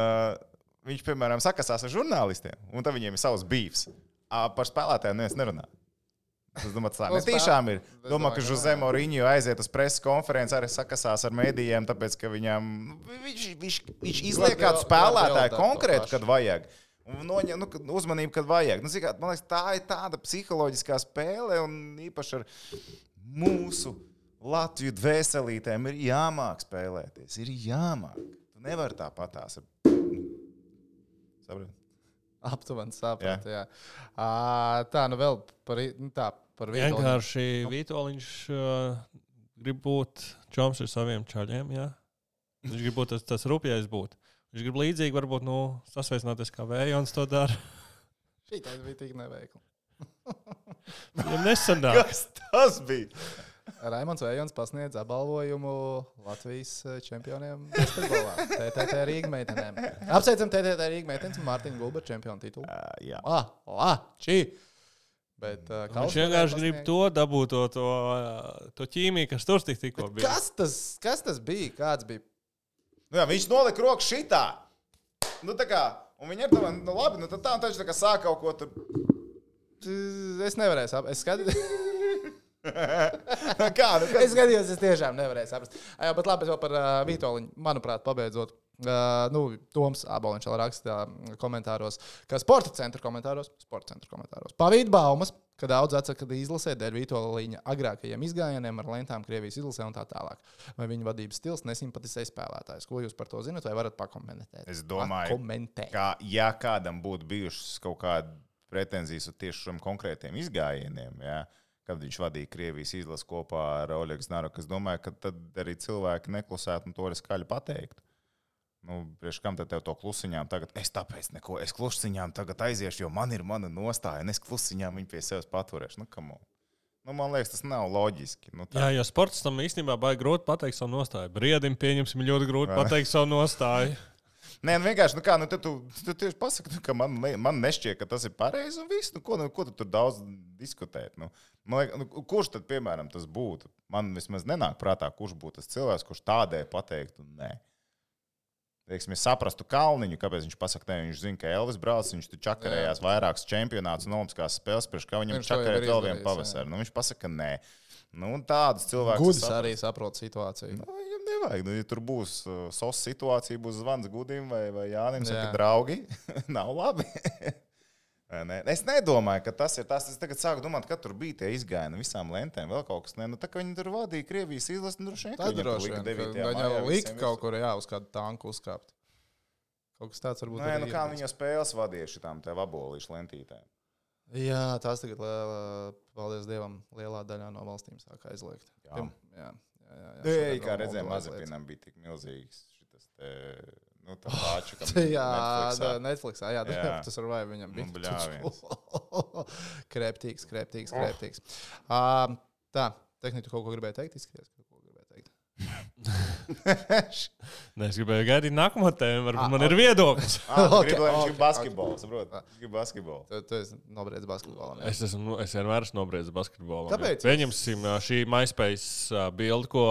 viņš, piemēram, sakasās ar žurnālistiem, un tad viņiem ir savs bīvs. Par spēlētājiem neviens nerunā. Es domāju, tā netīšām ir. Domāju, ka Jose Mourinho aiziet uz preses konferenci, arī sakasās ar mēdījiem, tāpēc, ka viņam, viņš izliek kādu spēlētāju konkrētu, kad vajag. Un noņem uzmanību, kad vajag. Man liekas, tā ir tāda psiholoģiskā spēle, un īpaši ar mūsu Latviju dvēselītēm ir jāmāk spēlēties. Ir jāmāk. Tu nevari tāpatās. Saprati? Aptuveni sapratu, jā. Tā, vēl par Vītoliņu. Vienkārši Vītoliņš grib būt čoms ar saviem čaļiem, jā. Viņš grib būt tas rupjais būt. Viņš grib līdzīgi varbūt, sasveicināties kā Vējons to dara. Šī tāda bija tik neveikla. Viņam nesanāk. Kas tas bija? Raimonds Vējons pasniedz apbalvojumu Latvijas čempioniem basketbolā. TTT Rīga meitenēm. Apsveicam TTT Rīga meitenes un Mārtiņu Gulberu čempionu titulu. Jā. Bet, viņš vienkārši grib to dabūt, to ķīmiju, kas tur tikko bija. Kas tas bija? Kāds bija? Jā, viņš nolika roku šitā. Tā kā, un viņi ir tā, labi, tad tā, un taču tā kā sāk kaut ko tur. Es nevarēju saprast. Es skatījos. Es skatījos, es tiešām nevarēju saprast. Bet labi, vēl par Vītoliņu, manuprāt, pabeidzot. Toms Āboliņš vēl raksta komentāros, ka sporta centra komentāros, pavīd baumas, ka daudz atsaka izlasē dēļ Vītola Līņa agrākajiem izgājieniem ar lentām Krievijas izlasē un tā tālāk. Vai viņa vadības stils nesimpatizē spēlētājs? Ko jūs par to zinat, vai varat pakomentēt? Es domāju, ka ja kādam būtu bijušas kaut kāda pretenzijas uz tieši šiem konkrētiem izgājieniem, kad viņš vadīja Krievijas izlasi kopā ar Oļegu Znaroku, es domāju, ka tad arī cilvēki neklusētu un to arī skaļi pateiktu. Priekš kam tad tev to klusiņām tagad? Es tāpēc neko, es klusiņām tagad aiziešu, jo man ir mana nostāja, un es klusiņām viņu pie sevis paturēšu. Man liekas, tas nav loģiski. Jo sports tam īstenībā baigi grūti pateikt savu nostāju. Briedim pieņemsim ļoti grūti pateikt savu nostāju. Nē, vienkārši, tu tieši pasaki, ka man nešķiet, ka tas ir pareizi un viss. Ko tu tur daudz diskutēt? Kurš tad, piemēram, tas būtu? Man vismaz nenāk prātā, kurš būtu tas cilvēks, kurš tādēļ pateiktu nē. Teiksim, es saprastu Kalniņu, kāpēc viņš pasaka, ne, viņš zina, ka Elvis brauc, viņš tur čakarējās vairākas čempionātus un olimpiskās spēles, priekš kā viņam čakarēt vēl vienu pavasaru. Viņš pasaka, nē. Tādus cilvēkus... Gudis arī saprot situāciju. Viņam nevajag. Ja tur būs sos situācija, būs zvans Gudim vai Jānim, saka, draugi, nav labi. Es nedomāju, ka tas ir tas. Es tagad sāku domāt, ka tur bija tie izgājieni visām lentēm, vēl kaut kas. Tā kā viņi tur vadīja Krievijas izlasi, droši vien, ka viņam lika kaut kur uz kādu tanku uzkāpt. Kaut kas tāds varbūt arī kā viņa spēles vadīja šitām tev abolīšu lentītēm. Jā, tās tagad, paldies Dievam, lielā daļā no valstīm sāk aizliegt. Jā. Kā redzējām, Mazepinam bija tik milzīgs šitas te... tā pāču, Netflixā, tas var vai viņam bija. Krēptīgs. Tā, tehniski tu kaut ko gribēji teikt? Izskaties, ka kaut ko gribēji teikt. Es gribēju gaidīt nākamo tēmu, varbūt man ir viedoklis. Gribu basketbolu, saprot? Gribu basketbolu. Tu esi nobriedz basketbolam. Es vienmēr esmu nobriedz basketbolam. Kāpēc? Pieņemsim šī MySpace bildi, ko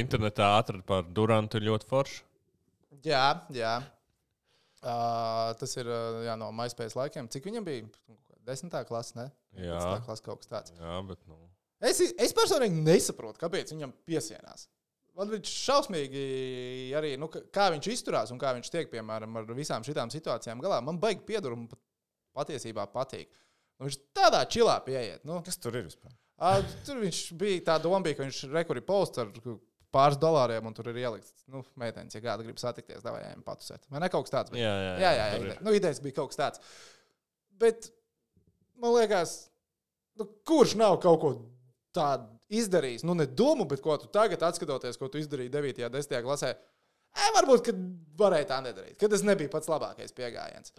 internetā atrada par Durantu, ir ļoti forša. Jā. Tas ir no MySpace laikiem. Cik viņam bija? 10. klase, ne? Jā. 10. klase kaut kas tāds. Jā, bet Es personīgi nesaprotu, kāpēc viņam piesienās. Man viņš šausmīgi arī, kā viņš izturās un kā viņš tiek, piemēram, ar visām šitām situācijām galā. Man baigi piedur un patiesībā patīk. Viņš tādā čilā pieiet. Kas tur ir vispār? Tur viņš bija, tā doma bija, ka viņš rekuri posts ar pāris $, un tur ir ielikts, meitenes, ja kāda grib satikties, davai ejam patusēt. Vai ne kaut kas tāds? Jā. Idejas bija kaut kas tāds. Bet, man liekas, kurš nav kaut ko tādu izdarījis? Ne domu, bet ko tu tagad atskatoties, ko tu izdarīji 9. 10. klasē. Varbūt, ka varēja tā nedarīt. Kad tas nebija pats labākais piegājiens.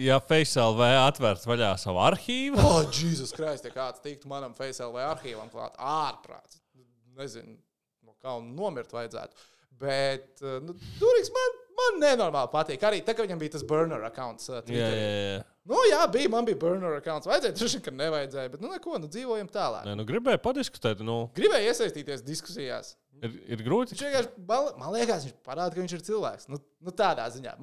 Ja FaceLV atvērt vaļā savu arhīvu. Jesus Christ, ja kāds tiktu manam FaceLV arhīvam klāt. Ārprāts. Nezinu. Kā un nomirt vajadzētu. Bet Durīgs man nenormāli patīk. Arī tā, ka viņam bija tas burner accounts Twitterī. Jā. Man bija burner accounts. Vajadzēja, droši, ka nevajadzēja. Bet dzīvojam tālāk. Gribēju padiskutēt. Gribēju iesaistīties diskusijās. Ir grūti. Man liekas, viņš parāda, ka viņš ir cilvēks. Tādā ziņā.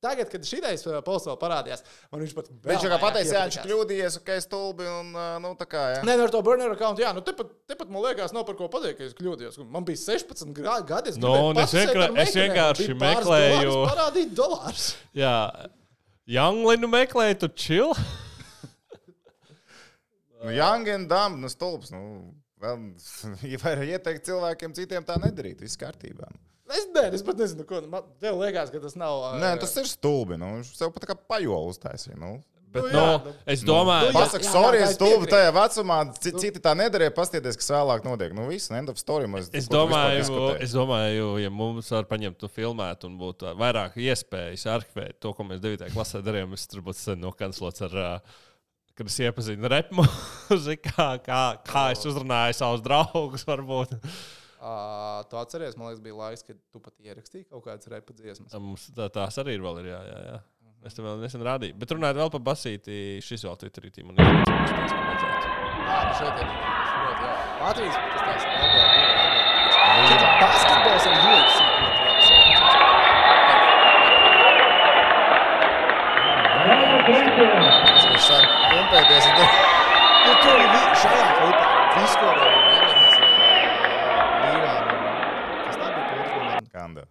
Tagad, kad šitais posts vēl parādījās, man viņš pat vēl viņš kā pateica, viņš kļūdījies, ka es stulbi un tā kā, jā. Nē, ar to burner accountu, jā, tepat man liekas, nav par ko pateikt, ka es kļūdījos. Man bija 16 gadi, es vienkārši meklēju. Parādīt $. Jā, Younglinu meklēju, tu chill. Young and dumb, stulbs, ja var ieteikt cilvēkiem citiem tā nedarīt, viss kārtībā. Es pat nezinu, ko. Tev liekas, ka tas nav... Nē, tas ir stulbi. Viņš sev pat kā pajolu uztaisīja. Es domāju... Pasaka, sorry, es stulbi tajā vecumā. Citi tā nedarīja, pastieties, kas vēlāk notiek. Viss, end of story. Es domāju, ja mums var paņemt to filmēt un būtu vairāk iespējas arhivēt to, ko mēs 9. klasē darījām, es tur būtu sen nokanclots ar... Kad es iepazinu repmuziku, kā es uzrunāju savus draugus, varbūt... Tu atceries, man liekas, bija laiks, kad tu pat ierakstīji kaut kādas repa dziesmas. Mums tās arī ir vēl, jā. Es tev vēl nesen rādīju. Bet runājot vēl par basīti, šis vēl Twitterī man ir tāds, ka vajadzētu. Šeit ir ļoti, jā. Latvijas, tas tās LB2. Basketbols ar UFC. Es jau sāku pumpēties. Tur ir šajā klipā. Viss, ko vēl ir. Kanda.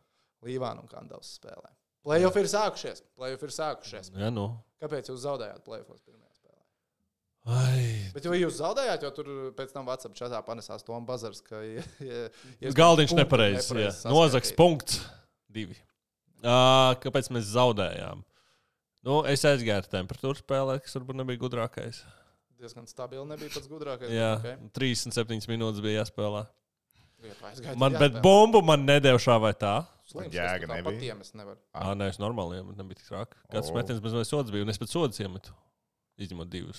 Līvāna un Kandavs spēlē. Playoff ir sākušies. Jā, nu. Kāpēc jūs zaudējāt playoffos pirmajā spēlē? Ai. Bet jūs zaudējāt, jo tur pēc tam WhatsApp chatā panesās Tom Bazars, ka... Galdiņš nepareizs. Nozaks punkts 2. Kāpēc mēs zaudējām? Nu, es aizgāju ar temperatūru spēlē, kas varbūt nebija gudrākais. Diezgan stabili nebija pats gudrākais. Jā, okay. 37 minūtes bija jāspēlē. Man, bet bumbu man nedēļ šā vai tā. Slims, Jēga nebija. Patiem es nevaru. Nē, es normāli iemetu, nebija tik traki. Kāds metiens bez sodas bija, un es pēc sodas iemetu. Izņemot 2.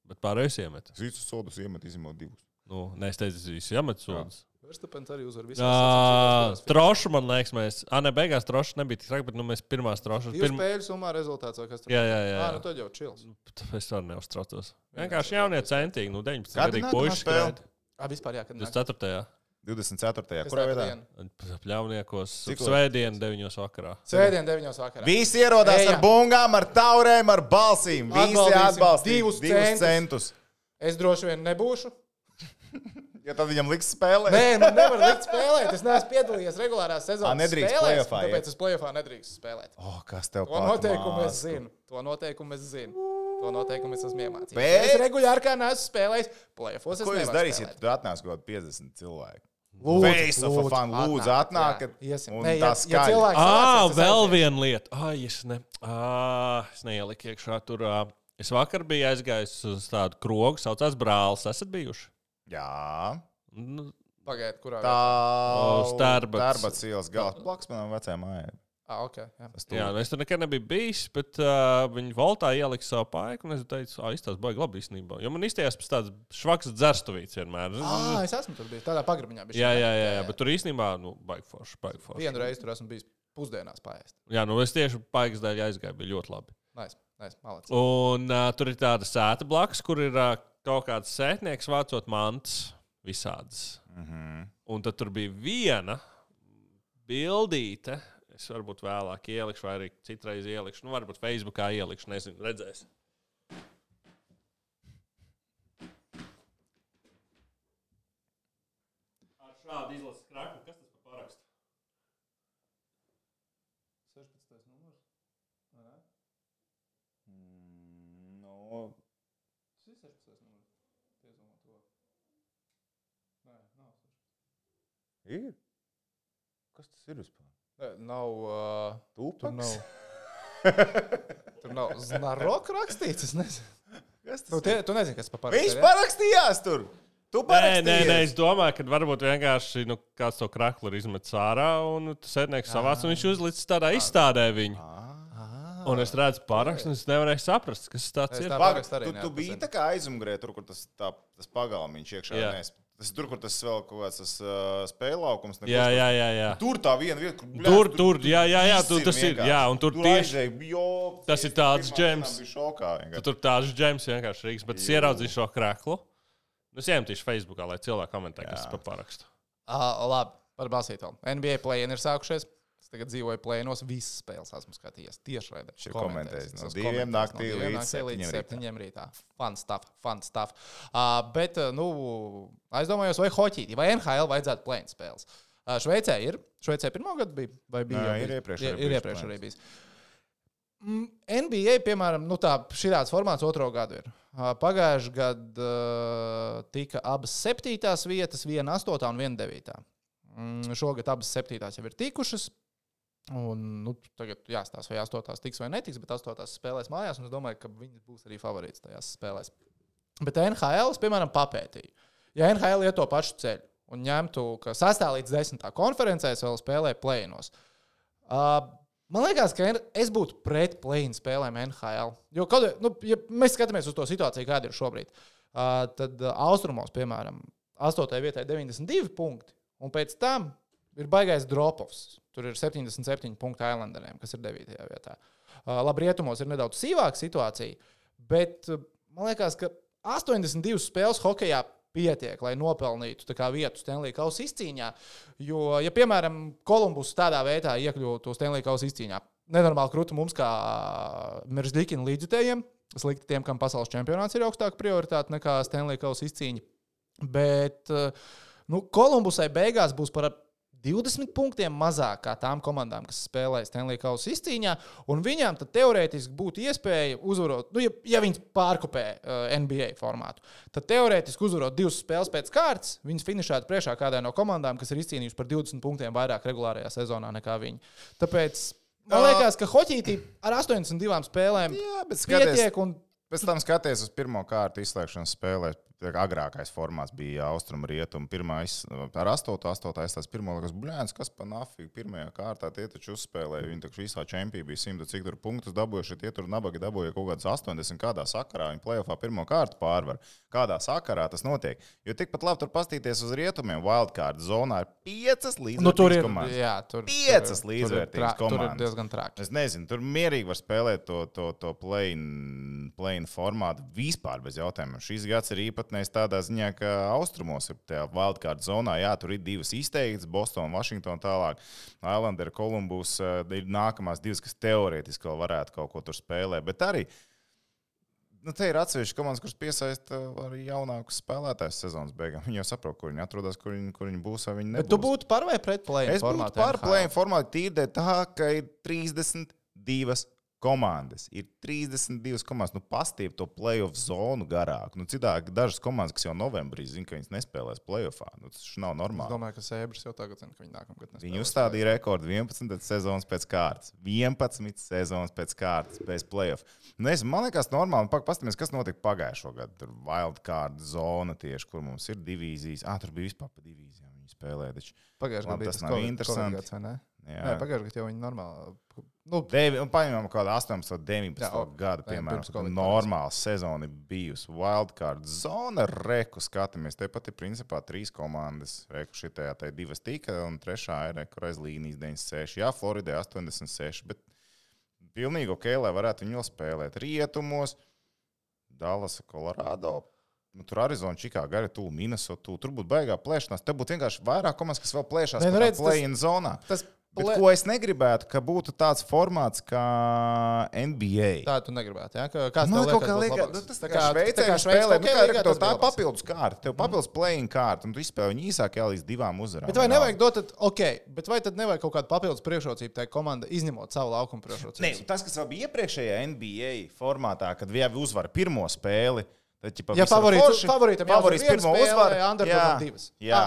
Bet pārējais iemetu. Es visus sodus iemetu, izņemot 2. Nu, nē, es teicu, es visu iemetu sodas. Verstapens arī uzvar visās. Trošu, man liekas, mēs... beigās trošu nebija tik traki, bet mēs pirmās trošas... Spēļu summā rezultāts vai kas tur? Jā. Nu tad jau čils. Es arī neuztraucos. Vienkārši jaunie centīgi, 19 gadīgi puiši skrēt. Vispār jā, kad 24. 24. Kurā vietā? Pļauniekos. Svētdien 9 vakarā. Svētdien 9 vakarā. Visi ierodās ar bungām, ar taurēm, ar balsīm. Visi atbalstīs 2 centus. Es droši vien nebūšu. Ja tad viņam liks spēlēt? Nē, man nevar likt spēlēt. Es neesmu piedalījies regulārās sezonas nedrīkst spēlēs, play-offā iet. tāpēc es play-offā nedrīkst spēlēt. Kas tev To noteikumu es zinu. To noteikumu es esmu iemācījies. Bet- Es regulāri kā neesmu spēlējis. Play-offos es Ko jūs nevaru darīsiet, spēlēt. ja tu atnāks kaut 50 cilvēku? Lūdzu, Lūdzu, atnākat. Iesim. Un Nē, tas ja skaļi. cilvēks sanāks, es Vēl aiziešu. viena lieta. Es neieliku iekšā tur. Es vakar biju aizgājis uz tādu krogu, saucās Brālis. Esat bijuši? Jā. Nu, Pagaidiet, kurā Tā Starbats. Starbats ielas galā. Plaks manam vecajam mājai. Ok. Jā. jā, es tur nekad nebiju bijis, bet viņi voltā ielika savu paiku, un es teicu, izstāst baigi labi īstenībā. Jo man izstājās pēc tādas švakas dzerstuvītes vienmēr. Es esmu tur bijis. Tādā pagrabiņā bija. Jā, bet tur īstenībā, baigi forši. Vienu reizi tur esmu bijis pusdienās paēst. Jā, es tieši paikas dēļ aizgāju, bija ļoti labi. Nice, malec. Un tur ir tāda sēta blakus, kur ir kaut kāds sētnieks vācot mantas visādas. Un tad tur bija viena bildīte. Es varbūt vēlāk ielikšu, vai arī citreiz ielikšu. Nu, varbūt Facebookā ielikšu, nezinu, redzēs. Ar šādu izlases kraklu, kas tas par parakstu? 16. numurs. No. Tas ir 16. numurs. Piezumā to. Nē, nav 16. Ir? Kas tas ir vispār? Nav. Tūpaks? Tur nav Znarok rakstīts. Es nezinu. Kas Tu, tas ir? tu nezini, kas par parakstu. Viņš parakstījās tur! Tu parakstījies! Nē, es domāju, ka varbūt vienkārši kāds to kraklu ir izmetis ārā, un tas sēdnieks savāc, un viņš uzlicis tādā izstādē viņu. Un es redzu parakstu, un es nevarēju saprast, kas tas Es ir. tā- Pagaid, parakstu arī tu biji neatpazinu. tā kā aizmugurē, tur, kur tas pagalmiņš iekšā. Jā. Tas ir tur, kur tas vēl kaut kāds spēļlaukums. Jā. Tur tā viena vieta, kur Tur, jā, tas ir, jā, un tur tieši, tas ir tāds džems. Tur tāds džems vienkārši Rīgas, bet es ieraudzīju šo kraklu. Es iemetīšu Facebookā, lai cilvēki komentē, kas tas par parakstu. Labi, par basītolu. NBA play-in ir sākušies. Es tagad dzīvoju play-inos, visas spēles esmu skatījies. Tieši raidē. Šī ir komentējis no 2 naktī līdz 7 rītā. Fun stuff. Bet, aizdomājos, vai hoķītī, vai NHL vajadzētu play-in spēles. Šveicē ir. Šveicē pirmo gadu bija? Vai bija? Jā, ir iepriekš arī bijis. NBA, piemēram, šāds formāts otro gadu ir. Pagājušajā gadā tika abas 7. vietas, viena 8. un viena 9. Šogad abas 7. jau ir tikušas. Un, tagad jāstāsta, vai 8. tiks vai netiks, bet 8. spēlēs mājās. Es domāju, ka viņas būs arī favorīts tajās spēlēs. Bet NHL, piemēram, papētīju. Ja NHL iet to pašu ceļu un ņemtu, ka 6. līdz 10. konferencēs vēl spēlē play-inos. Man liekas, ka es būtu pret play-in spēlēm NHL. Jo, ja mēs skatāmies uz to situāciju, kāda ir šobrīd, tad austrumos, piemēram, 8. vietai 92 punkti, un pēc tam ir baigais drop-offs. Tur ir 77 punkti Islanderiem, kas ir 9. vietā. Labi, rietumos ir nedaudz sīvāka situācija, bet man liekas, ka 82 spēles hokejā pietiek, lai nopelnītu vietu Stanley Kausa izcīņā. Jo, ja, piemēram, Kolumbus tādā veidā iekļūtu Stanley Kausa izcīņā, nenormāli krūtu mums kā Meržģikina līdzjutējiem, slikti tiem, kam pasaules čempionāts ir augstāka prioritāte nekā Stanley Kausa izcīņa. Bet Kolumbusai beigās būs par 20 punktiem mazāk kā tām komandām, kas spēlē Stanley Kausa izcīņā, un viņām tad teorētiski būtu iespēja uzvarot, ja viņas pārkopē NBA formātu, tad teorētiski uzvarot 2 spēles pēc kārtas, viņas finišētu priekšā kādai no komandām, kas ir izcīnījuši par 20 punktiem vairāk regulārajā sezonā nekā viņi. Tāpēc man liekas, ka hoķītī ar 82 spēlēm pietiek un pēc tam skaties uz pirmo kārtu izslēgšanas spēlē. Agrākais formāts bija austrumu rietumu. Pirmā ar 8. aizstās pirmo liekas, bļēns, kas pa nafīgi pirmajā kārtā tie taču uzspēlēja. Viņi taču visā čempī bija 100 cik tur punktus dabūjuši, tie tur nabagi dabūja kaut kādas 80 kādā sakarā. Viņi play-offā pirmo kārtu pārvar. Kādā sakarā tas notiek? Jo tikpat labi tur pastīties uz rietumiem. Wildcard zonā ir 5 līdzvērtīgas komandas. Jā, 5 līdzvērtīgas komandas. Tur ir diezgan traki. Es nezinu, tur mierīgi var spēlēt to play-in formātu vispār bez jautājumiem. Šis gads ir īpatnējs tādā ziņā, ka austrumos ir tajā wildcard zonā. Jā, tur ir 2 izteiktas, Boston, Washington tālāk. Islander, Columbus ir nākamās 2, kas teorētiski vēl varētu kaut ko tur spēlēt. Bet arī te ir atsevišķi komandas, kuras piesaista arī jaunākus spēlētājus sezonas beigām. Viņi jau saprot, kur viņi atrodas, kur viņi būs vai viņi nebūs. Bet tu būtu par vai pret play-in formātu? Es būtu par play-in formātu tīrdē tā, ka ir 32 komandas. Ir 32 komandas. Pastīv to play-off zonu garāk. Citādi dažas komandas, kas jau novembrī zina, ka viņas nespēlēs play-offā. Tas nav normāli. Es domāju, ka Sēbris jau tagad zina, ka viņi nākamgad nespēlēs. Viņi uzstādīja rekordu 11 sezonas pēc kārtas. 11 sezonas pēc kārtas bez play-off. Man liekas normāli. Pastāmies, kas notika pagājušo gadu. Tur wildcard zona tieši, kur mums ir divīzijas. Tur bija vispār pa divīzijām. Viņi spēlēja. Pagājušajā gadā tas nav interesanti. Nē, pagājušajā gadā jau viņi normāli. Paņemam kādu 18, 19 gadu, piemēram, normāla sezona bijusi. Wildcard zona, reku skatāmies. Tepat ir principā 3 komandas. Reku šitajā tai 2 tika, un 3. ir reku aiz līnijas 96. Jā, Floridē 86, bet pilnīgi ok, lai varētu viņu vēl spēlēt. Rietumos, Dallas, Colorado. Tur Arizona, Chicago, arī tūl Minnesota. Tur būtu baigā plēšanās. Te būtu vienkārši vairāk komandas, kas vēl plēšās play-in zonā. Bet ko es negribētu, ka būtu tāds formāts kā NBA. Tā tu negribētu, jā? Kāds tev liekas? Tas tā kā Šveicē spēlē. Tā ir papildus kārta. Tev papildus play-in kārta, un tu izspēlē viņu īsākajā līdz 2 uzvarām. Bet vai nevajag dot, bet vai tad nevajag kaut kādu papildus priekšrocību tai komanda, izņemot savu laukumu priekšrocību? Nē, tas, kas vēl bija iepriekšējā NBA formātā, kad jau uzvara pirmo spēli, ja favorītam favorīts pirmo uzvaru, jā.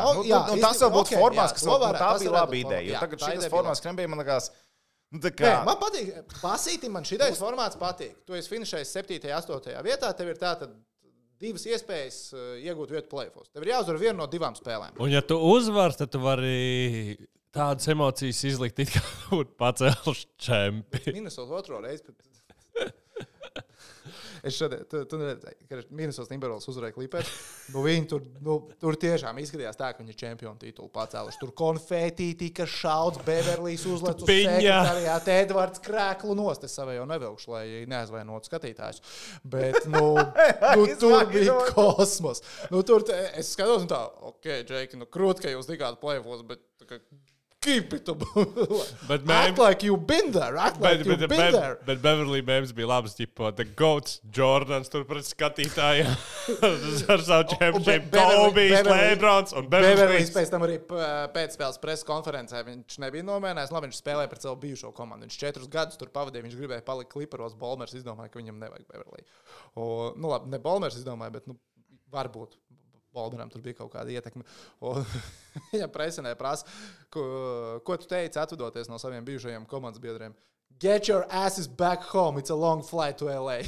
Tas vēl būtu formāts, kas tā bija laba ideja. Tagad šis formāts, kas nebija, man liekas, man patīk, pasīti man šitais formāts patīk. Tu esi finišējis 7. 8. vietā, tev ir tātad 2 iespējas iegūt vietu play-offos. Tev ir jāuzvar vienu no 2 spēlēm. Un ja tu uzvar, tad tu vari tādas emocijas izlikt, it kā būtu pacēluši čempi. Minnesota otro reizi. Es šodien, tu neredzēji, ka Minnesota Timberwolves uzvarēja Clippers. Viņi tur tiešām izskatījās tā, ka viņi ir čempionu titulu pacēluši. Tur konfētī tika šauts, Beverlijs uzlec uz sekretariātu, Edvards krēklu nost. Es savai jau nevilkšu, lai neaizvainotu skatītājus. Bet, tur bija kosmos. Tur es skatos un tā, ok, Džeki, krūt, ka jūs tikāt play-offos, bet keep it up. Act like you've been there. Bet Beverly Memes bija labs, ģipa, the GOATs, Jordans, tur pret skatītājiem. Ar savu championship, Kobe's, Lebrons un Beverlys pēc tam arī pēcspēles preses konferencē. Viņš nebija nomēnējis, viņš spēlēja pret savu bijušo komandu. Viņš 4 gadus tur pavadīja, viņš gribēja palikt Clipperos. Bolmers izdomāja, ka viņam nevajag Beverly. Labi, ne Bolmers izdomāja, bet varbūt. Bolderam tur bija kaut kāda ietekme. Viņam presenē prasa, ko tu teici, atvadoties no saviem bijušajiem komandas biedriem. Get your asses back home, it's a long flight to LA.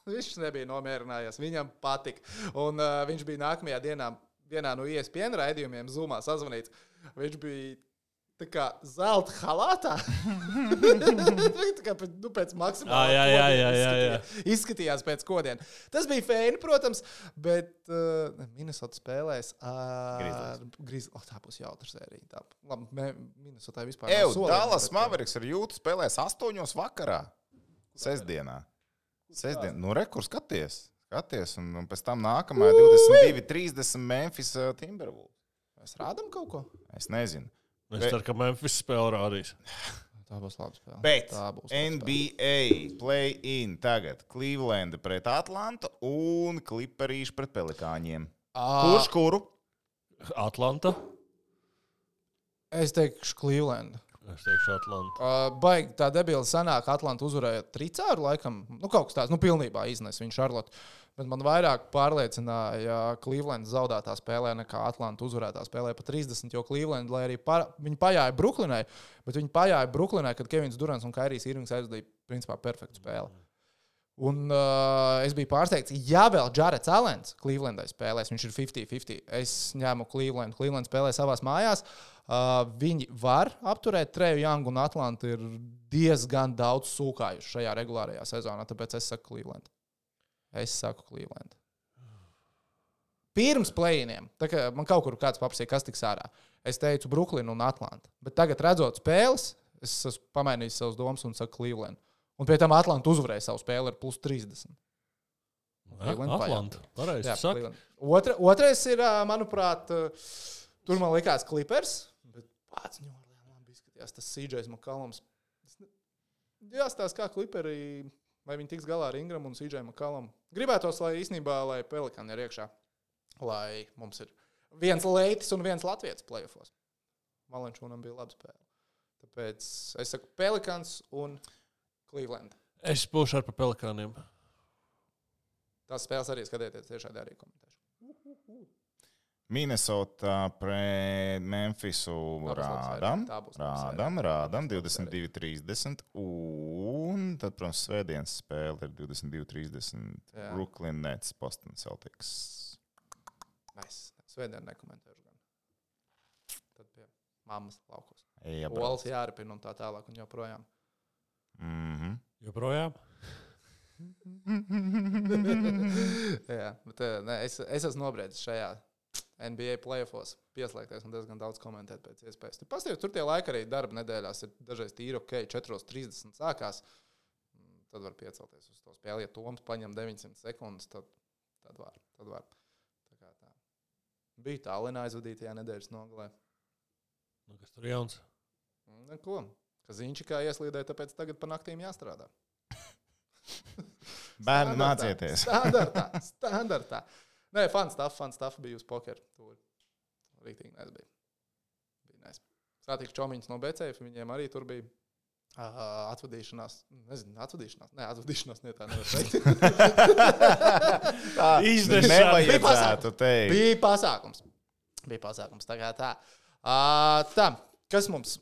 Viņš nebija nomierinājies, viņam patika. Un viņš bija nākamajā dienā vienā no ESPN raidījumiem Zoomā sazvanīts. Viņš bija tā kā zelta halātā. Tā kā pēc maksimāla jā. Izskatījās pēc kodiem. Tas bija fēni, protams, bet Minnesota spēlēs ar Grizzlies. Tā būs jautra sērija. Labi, Minnesotai vispār nav solījuma. Dallas Mavericks ar jūtu spēlēs 8 vakarā. Sestdienā. Rekur skaties, un pēc tam nākamā 22:30 Memphis Timberwolves. Mēs rādam kaut ko? Es nezinu. Es ceru, ka Memphis spēle rādīs. Tā būs laba spēle. Bet NBA play-in tagad. Cleveland pret Atlantu un Clipperīši pret Pelikāņiem. Kurš kuru? Atlanta. Es teikšu Cleveland. Es teikšu Atlantu. Baigi tā debila sanāk, Atlanta uzvarēja tricāru laikam. Kaut kas tāds, pilnībā iznes viņu Charlotte. Bet man vairāk pārliecināja Cleveland zaudētā spēlē nekā Atlanta uzvarētā spēlē pa 30, jo Cleveland, lai arī viņi pajāja Brooklynai, bet viņi pajāja Brooklynai, kad Kevins Durants un Kairijs Irvings aizdīja principā perfektu spēli. Un es biju pārsteigts, ja vēl Jarets Allens Clevelandai spēlēs, viņš ir 50-50. Es ņēmu Cleveland. Cleveland spēlē savās mājās. Viņi var apturēt Treju Youngu un Atlantu ir diezgan daudz sūkājuši šajā regulārajā sezonā, tāpēc es saku Cleveland. Es saku Cleveland. Pirms play-iniem, tā kā man kaut kur kāds paprasīja, kas tiks ārā, es teicu Brooklyn un Atlanta. Bet tagad, redzot spēles, es esmu pamainījis savus domas un saku Cleveland. Un pie tam Atlanta uzvarēja savu spēli ar plus 30. Atlanta. Pareizi saka. Otrais ir, manuprāt, tur man likās Clippers, bet pats ņorlēm labi izskatījās tas CJs McCollums. Jāstās kā Clipperi, vai viņi tiks galā ar Ingram un CJ McCollum. Gribētos, lai īstenībā, lai Pelikani ir iekšā, lai mums ir viens Leitis un viens Latvijas playoffos. Valenčūnam bija laba spēle. Tāpēc es saku Pelikans un Cleveland. Es būšu ar pa Pelikaniem. Tās spēles arī skatieties, tiešādi arī komentēšu. Minnesota pret Memphisu rādam 22-30 un tad, protams, svētdienas spēle ir 22-30 Brooklyn Nets, Boston Celtics. Svētdien nekomentēšu gan. Tad pie mammas laukos. Ejam. Olas jāripina un tā tālāk un joprojām. Joprojām? Jā, bet es esmu nobriedis šajā NBA playoffs pieslēgties un diezgan daudz komentēt pēc iespējas. Tur tie laiki arī darba nedēļās ir dažreiz tīri ok, 4:30 sākās. Tad var piecelties uz to spēli. Ja Toms paņem 900 sekundes, tad var. Tā kā tā. Bija Tallinā aizvadītajā nedēļas nogalē. Kas tur jauns? Neko. Ka Ziņčikā ieslīdēja, tāpēc tagad pa naktīm jāstrādā. Bērni mācieties. Standartā. Nē, fun stuff bija uz pokeru. Tur rīktīgi nesbija. Bija nes. Sātīgs čomiņas no BCF, viņiem arī tur bija atvadīšanās. Nezinu, atvadīšanās. Nē, atvadīšanās ne tā nevar teikt. Nevajadzētu teikt. Bija pasākums. Tā kā tā. Tā, kas mums...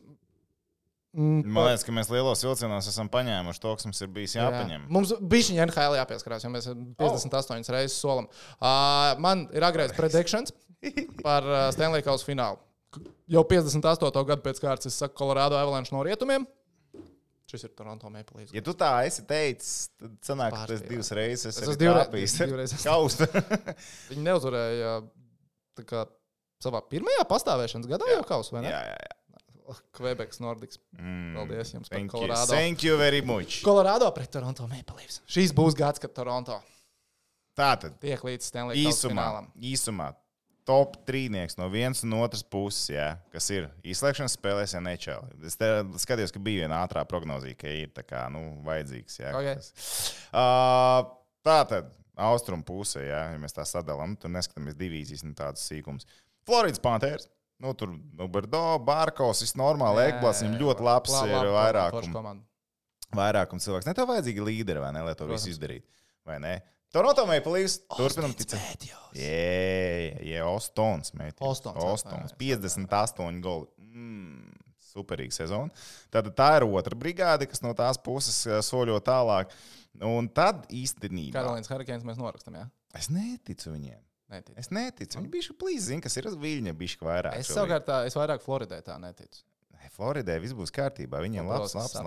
Man liekas, ka mēs lielos vilcienos esam paņēmuši to, kas mums ir bijis jāpaņem. Mums bišķiņi NHL jāpieskarās, jo mēs 58 reizes solam. Man ir agrais predictions par Stanley Kausa finālu. Jau 58. gadu pēc kārtas es saku Colorado Avalanche no rietumiem. Šis ir Toronto Maple Leafs. Ja tu tā esi teicis, tad sanāk, ka tas divas reizes es esi kāpījis. Kausta. Viņi neuzvarēja tā kā savā pirmajā pastāvēšanas gadā jau Kausu, vai ne? Jā. Quebecs Nordics. Paldies jums par Colorado. Thank you very much. Colorado pret Toronto Maple Leafs. Šīs būs gads, kad Toronto Tātad tiek līdz Stanley Kausa finālam. Īsumā top 3 no vienas un otras puses, jā, kas ir izslēgšanas spēlēs NHL. Es skatījos, ka bija viena ātrā prognozija, ka ir tā kā, vajadzīgs. Jā, Okay. Tātad austrumu pusē, jā, ja mēs tā sadalām, tur neskatāmies divīzijas un tādas sīkums. Floridas Panthers. Tur Berdo, Barkovs, viss normāli, Ekblats, viņam ļoti labs ir vairākums cilvēks. Ne tev vajadzīgi līderi, vai ne, lai to visu izdarītu, vai ne? Toronto Maple Leafs, turpinam ticēt. Ostons, Mētījus. Ostons, 58 goli. Superīga sezona. Tad tā ir otra brigāde, kas no tās puses soļo tālāk. Un tad īstenībā... Karolīnas Hurricanes mēs norakstam, jā? Es neticu viņiem. Es neticu. Viņi bišķi plīz zina, kas ir uz Viļņa bišķi vairāk. Es savukārt es vairāk Floridai tā neticu. Floridai viss būs kārtībā. Viņiem labs vārds.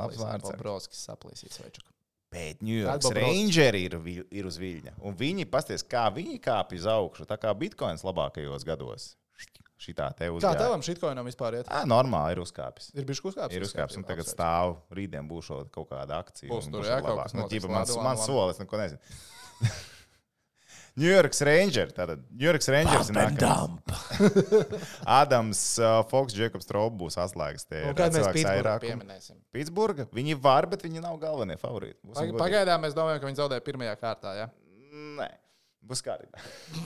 Bobrovskis saplīsīs večuku. Bet New York Rangeri ir uz Viļņa. Un viņi, pasties, kā viņi kāpj uz augšu, tā kā Bitcoins labākajos gados. Šitā te uzgāja. Kā tevam Shitcoinam vispār iet? Normāli ir uzkāpis. Ir bišķi uzkāpis? Ir uzkāpis, un tagad stāv. Rītdien būšot kaut kāda akcija. Būs tur, jā, kaut kas notiks. Man solis, neko nezinu. New York Rangers. Tātad New York Rangers ir nākamais. Adams, Fox, Jacobs, Traub būs atslēgas. Kad mēs Pittsburghu pieminēsim? Pittsburgha? Viņi var, bet viņi nav galvenie favorīti. Pagaidām mēs domājam, ka viņi zaudēja pirmajā kārtā, jā? Nē, būs kārtībā.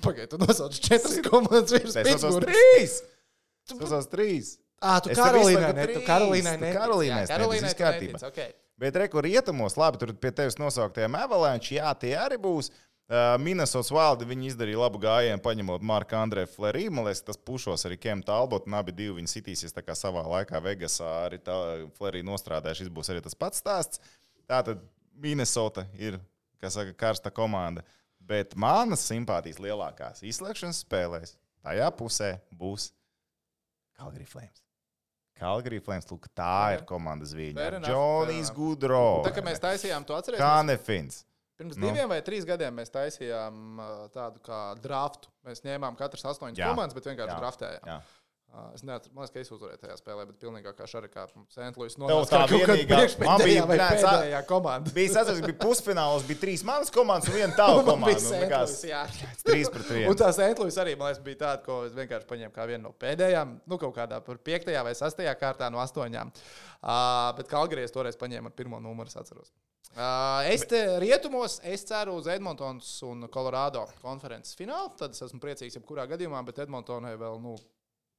Pagaid, tu nosauc 4 komandas virs Pittsburghas. Tu nosauc 3. Tu Es tev Karolīnai izsaku netici. trīs. Karolīnai Tu netici. Karolīnai Jā, Karolīnai netici, tu kārtībā. netici, okay. Bet reku rietumos, labi, tur pie tevis nosauktiem Avalanche, jā, tie arī būs. Minnesotas Wild, viņi izdarīja labu gājienu, paņemot Marku Andreju Fleury. Man liekas, tas pušos arī Kem Talbot, un abi divi viņi sitīsies tā kā savā laikā Vegasā. Arī Fleury nostrādāja, šis būs arī tas pats stāsts. Tātad Minnesota ir, kā saka, karsta komanda. Bet manas simpātijas lielākās izslēgšanas spēlēs tajā pusē būs Calgary Flames. Calgary Flames, lūk, tā ir komandas viņa. Džonijs Gudro. Tā kā mēs taisījām, tu atceries? Kanefins. Pirms 2 vai 3 gadiem mēs taisījām tādu kā draftu. Mēs ņēmām katras 8 komandas, bet vienkārši draftējām. Jā. Es neatceros, man liekas, ka es uzvarēju tajā spēlē, bet pilnīgākā šarikā Saint-Louis Tev tā vienīgā, man bija pēdējā komanda. Bija pusfināls, bija 3 manas komandas un 1 tava komanda. Saint-Louis, jā. 3-1. Un tā Saint-Louis arī, man liekas, bija tāda, ko es vienkārši paņēmu kā vienu no pēdējām, kaut kādā par 5. vai 6. kārtā no 8. Bet Calgary es toreiz paņēmu ar 1. numuru, es atceros. Es te rietumos, es ceru uz Edmontons un Colorado konferences finālu, tad es esmu priecīgs jebkurā gadījumā, bet Edmontonai vēl,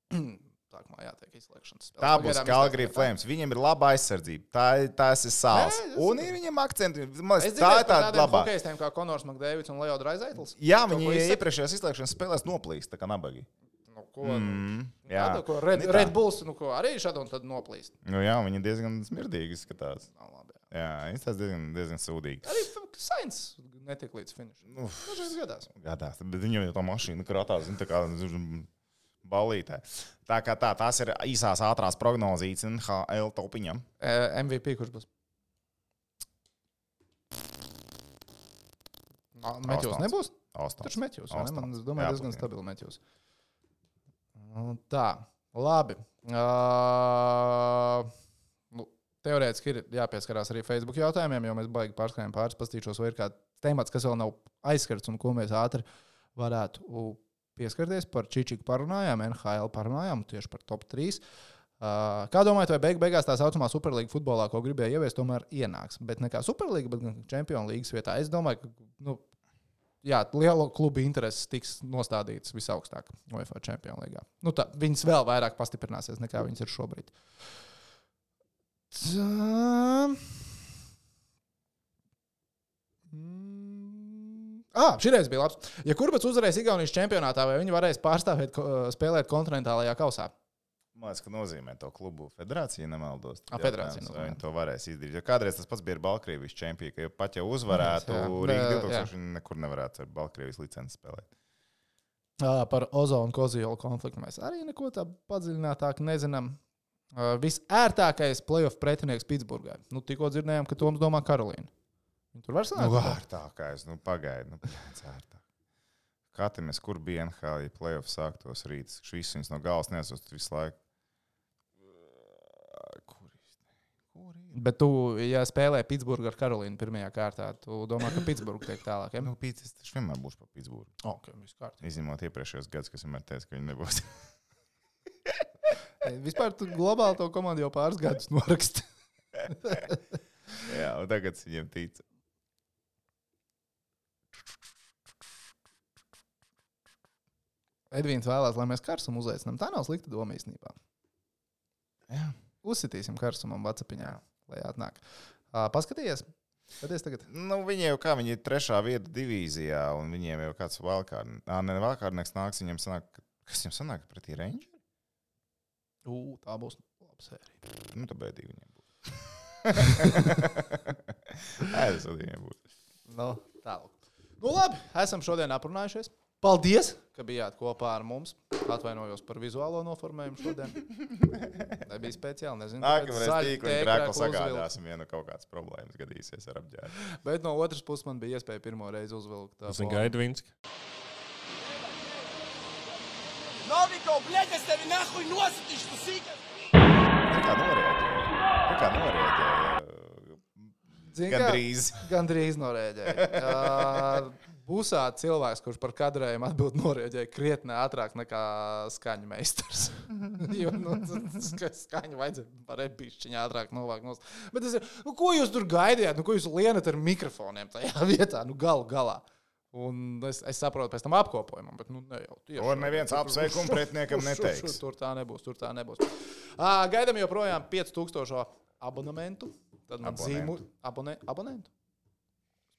sākumā jātiek izslēgšanas spēlē. Tā būs Calgary Flames. Viņiem ir laba aizsardzība. Tas ir sāls. Un ir viņiem akcenti. Tā ir tāda labā. Hokeistiem kā Konors Makdēvids un Leo Draisaitls. Jā, viņi iepriekšējās izslēgšanas spēlēs noplīst, tā kā nabagi. Jā, ko Red Bulls arī šādi un tad noplīst. Jā, viņi diezgan smirdīgi izskatās. Jā, izskatās diezgan sūdīgi. Arī Sainz netiek līdz finišam. Dažreiz gadās. Bet viņam jau tā mašīna krātās, tā kā balītē. Tā kā tās ir īsās ātrās prognozītes NHL topiņam. MVP kurš būs? Metjūs nebūs? Taču Metjūs, man domāju, diezgan stabili Metjūs. Tā, labi. Teorētiski ir jāpieskarās arī Facebook jautājumiem, jo mēs baigi pārskrējam pāris, pastīšos, vai ir kāds temats, kas vēl nav aizskarts un ko mēs ātri varētu pieskarties. Par Čičiku parunājām, NHL parunājām, tieši par top 3. Kā domājat, vai beigās tā saucamā Superlīga futbolā, ko gribēja ieviest, tomēr ienāks? Bet ne kā Superlīga, bet gan Čempionu līgas vietā. Es domāju, ka lielo klubu intereses tiks nostādītas visaugstāk UEFA Čempionu līgā. Viņas vēl vairāk pastiprināsies, nekā viņas ir šobrīd. Šīreiz bija labs. Ja Kurbats uzvarēs Igaunijas čempionātā, vai viņi varēs spēlēt kontinentālajā kausā? Man liekas, ka nozīmē to klubu federācija, nemaldos. Federācija. Vai viņi to varēs izdarīt? Jo kādreiz tas pats bija ar Baltkrievijas čempionu, ka pat ja uzvarētu Rīga 2000, viņi nekur nevarētu ar Baltkrievijas licenci spēlēt. Par Ozo un Koziola konfliktu mēs arī neko tā padziļinātāk nezinām. Visērtākais playoff pretinieks Pitsburgai. Tikko dzirdējām, ka Toms domā Karolīnu. Tur var sanākt? Ārtākais, pagaidi. Katamies, kur bija NHL, ja playoff sāktos rīts. Šis viņas no galvas neesot visu laiku. Kur ir? Bet tu, ja spēlē Pitsburgu ar Karolīnu pirmajā kārtā, tu domā, ka Pitsburgu tiek tālāk, ja? Es taču vienmēr būšu par Pitsburgu. Ok, viss kārtībā. Izņemot iepriekšējos gadus, kas vienmēr teica, ka viņi nebūs. Vispār tu globāli to komandu jau pāris gadus noraksti. Jā, un tagad viņiem tic. Edvīns vēlās, lai mēs Karsumu uzaicinām. Tā nav slikta doma īstenībā. Jā. Uzsitīsim Karsumam WhatsAppiņā, lai atnāk. Paskatījies? Skaties tagad. Viņi jau kā, viņi ir 3. vieta divīzijā, un viņiem jau kāds valkārdnieks nāks, viņiem sanāk, kas viņiem sanāk pretī Rangeri? Tā būs laba sērija. Tā bēdīgi viņiem būs. Tas viņiem būs. Tālāk. Labi, esam šodien aprunājušies. Paldies, ka bijāt kopā ar mums. Atvainojos par vizuālo noformējumu šodien. Nebija speciāli, nezinu. Nākamreiz tīkli grēko sagādāsim, ja kaut kāds problēmas gadīsies ar apģērbu. Bet no otras puses man bija iespēja pirmo reizi uzvilkt. Tas ir Gaidvinski. Noviko, блядь, es tevi nahuj nosītīšu, tu sīkas! Kā norēģēja? Gandrīz norēģēja. Busā cilvēks, kurš par kadrējumu atbild norēģēja krietni ātrāk nekā skaņu meistars. Jo skaņu vajadzēja par epišķiņu ātrāk novākt. Bet es ko jūs tur gaidījāt? Ko jūs lienat ar mikrofoniem tajā vietā? Galu galā. Un es saprotu pēc tam apkopojumam, bet nu ne jau tieši. To neviens apsveikumu pretiniekam neteiks. Tur tā nebūs. Gaidām joprojām 5000 abonementu. Tad man abonentu.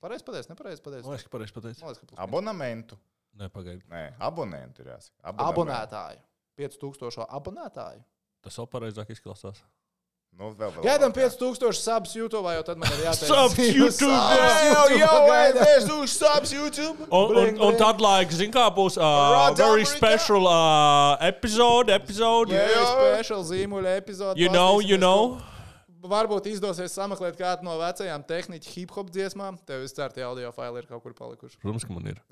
Pareizi pateicis, nepareizi pateicis. Man liekas, ka pareizi pateicis. Abonementu. Nepagaidi. Nē, abonentu ir jāsaka. Abonētāju. 5000 abonētāju. Tas vēl pareizāk izklausās. Nu, vēl. Gaidām 5000 subs YouTube, jo tad man ir jāteic. Subs YouTube! Subs YouTube! Un tad, zin kā būs very special episode. Very special zīmuļa epizode. You know. Varbūt izdosies sameklēt kādu no vecajām tehniķu hip-hop dziesmām. Tev viss tie audio faili ir kaut kur palikuši. Protams, ka man ir.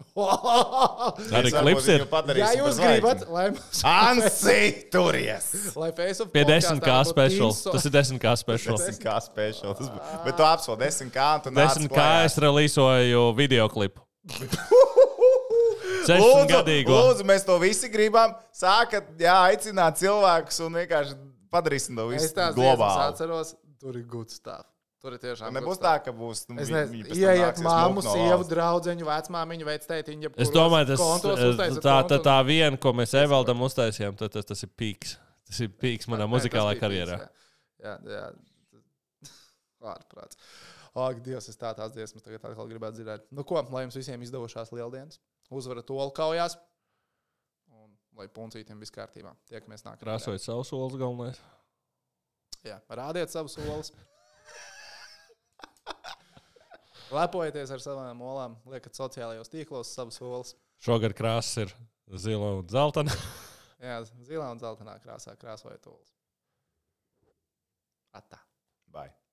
Arī klips ir. Ja jūs gribat, lai mums... Ansi, turies! Lai Face of Pie podkastā 10K būtu special. Inso- Tas ir 10K special. 10K special. Bet tu apsol 10K un tu nāc 10K es relīsoju videoklipu. 16 gadīgo. Lūdzu, mēs to visi gribam. Sākat, aicināt cilvēkus un vienkārši padarīsim to Es visu tās dziesmas globāli. atceros, tur ir good stuff. Tur ir tiešām Nebūs good tā, stuff. ka būs. Es nezinu, ieiet māmu, sievu, draudzeņu, vecmāmiņu, vectētiņu. Es domāju, tā viena, ko mēs Evaldam uztaisījām, tas ir pīks. Tas ir pīks manā muzikālajā karjerā. Jā. Ārprāts. Ak, Dievs, es tās dziesmas tagad atkal gribētu dzirdēt. Nu ko, lai jums visiem izdevušās lieldienas. Uzvara tolu kaujās. Un lai puncītiem viss kārtībā. Tiekamies nākamajā. Krāsojot savu solis galvenais. Jā, rādiet savus solis. Lepojieties ar savām olām. Liekat sociālajos tīklos savus solis. Šogad krāsas ir zila un zeltaina. Jā, zilā un zeltainā krāsā krāsojiet olas. Atā. Bye.